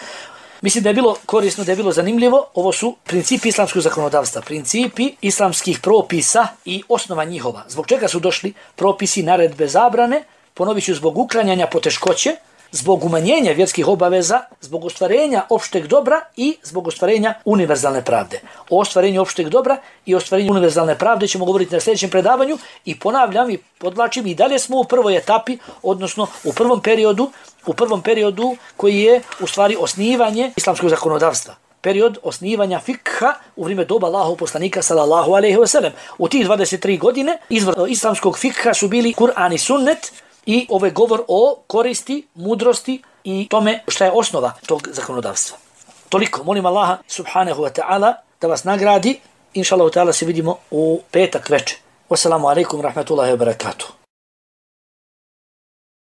Mislim da je bilo korisno, da je bilo zanimljivo. Ovo su principi islamskog zakonodavstva, principi islamskih propisa i osnova njihova. Zbog čega su došli propisi, naredbe, zabrane? Ponovit ću: zbog uklanjanja poteškoće, zbog umanjenja vjerskih obaveza, zbog ostvarenja opšteg dobra i zbog ostvarenja univerzalne pravde. O ostvarenju opšteg dobra i ostvarenju univerzalne pravde ćemo govoriti na sljedećem predavanju i ponavljam i podlačim, i dalje smo u prvoj etapi, odnosno u prvom periodu koji je u stvari osnivanje islamskog zakonodavstva. Period osnivanja fikha u vrijeme doba Allahovog poslanika sallallahu alejhi ve sellem. U tih 23 godine izvor islamskog fikha su bili Kur'an i sunnet i ovaj govor o koristi, mudrosti i tome šta je osnova tog zakonodavstva. Toliko. Molim Allaha subhanahu wa ta'ala da vas nagradi. Inšallahu ta'ala se vidimo u petak večer. Wassalamu alaikum rahmatullahi wa barakatuh.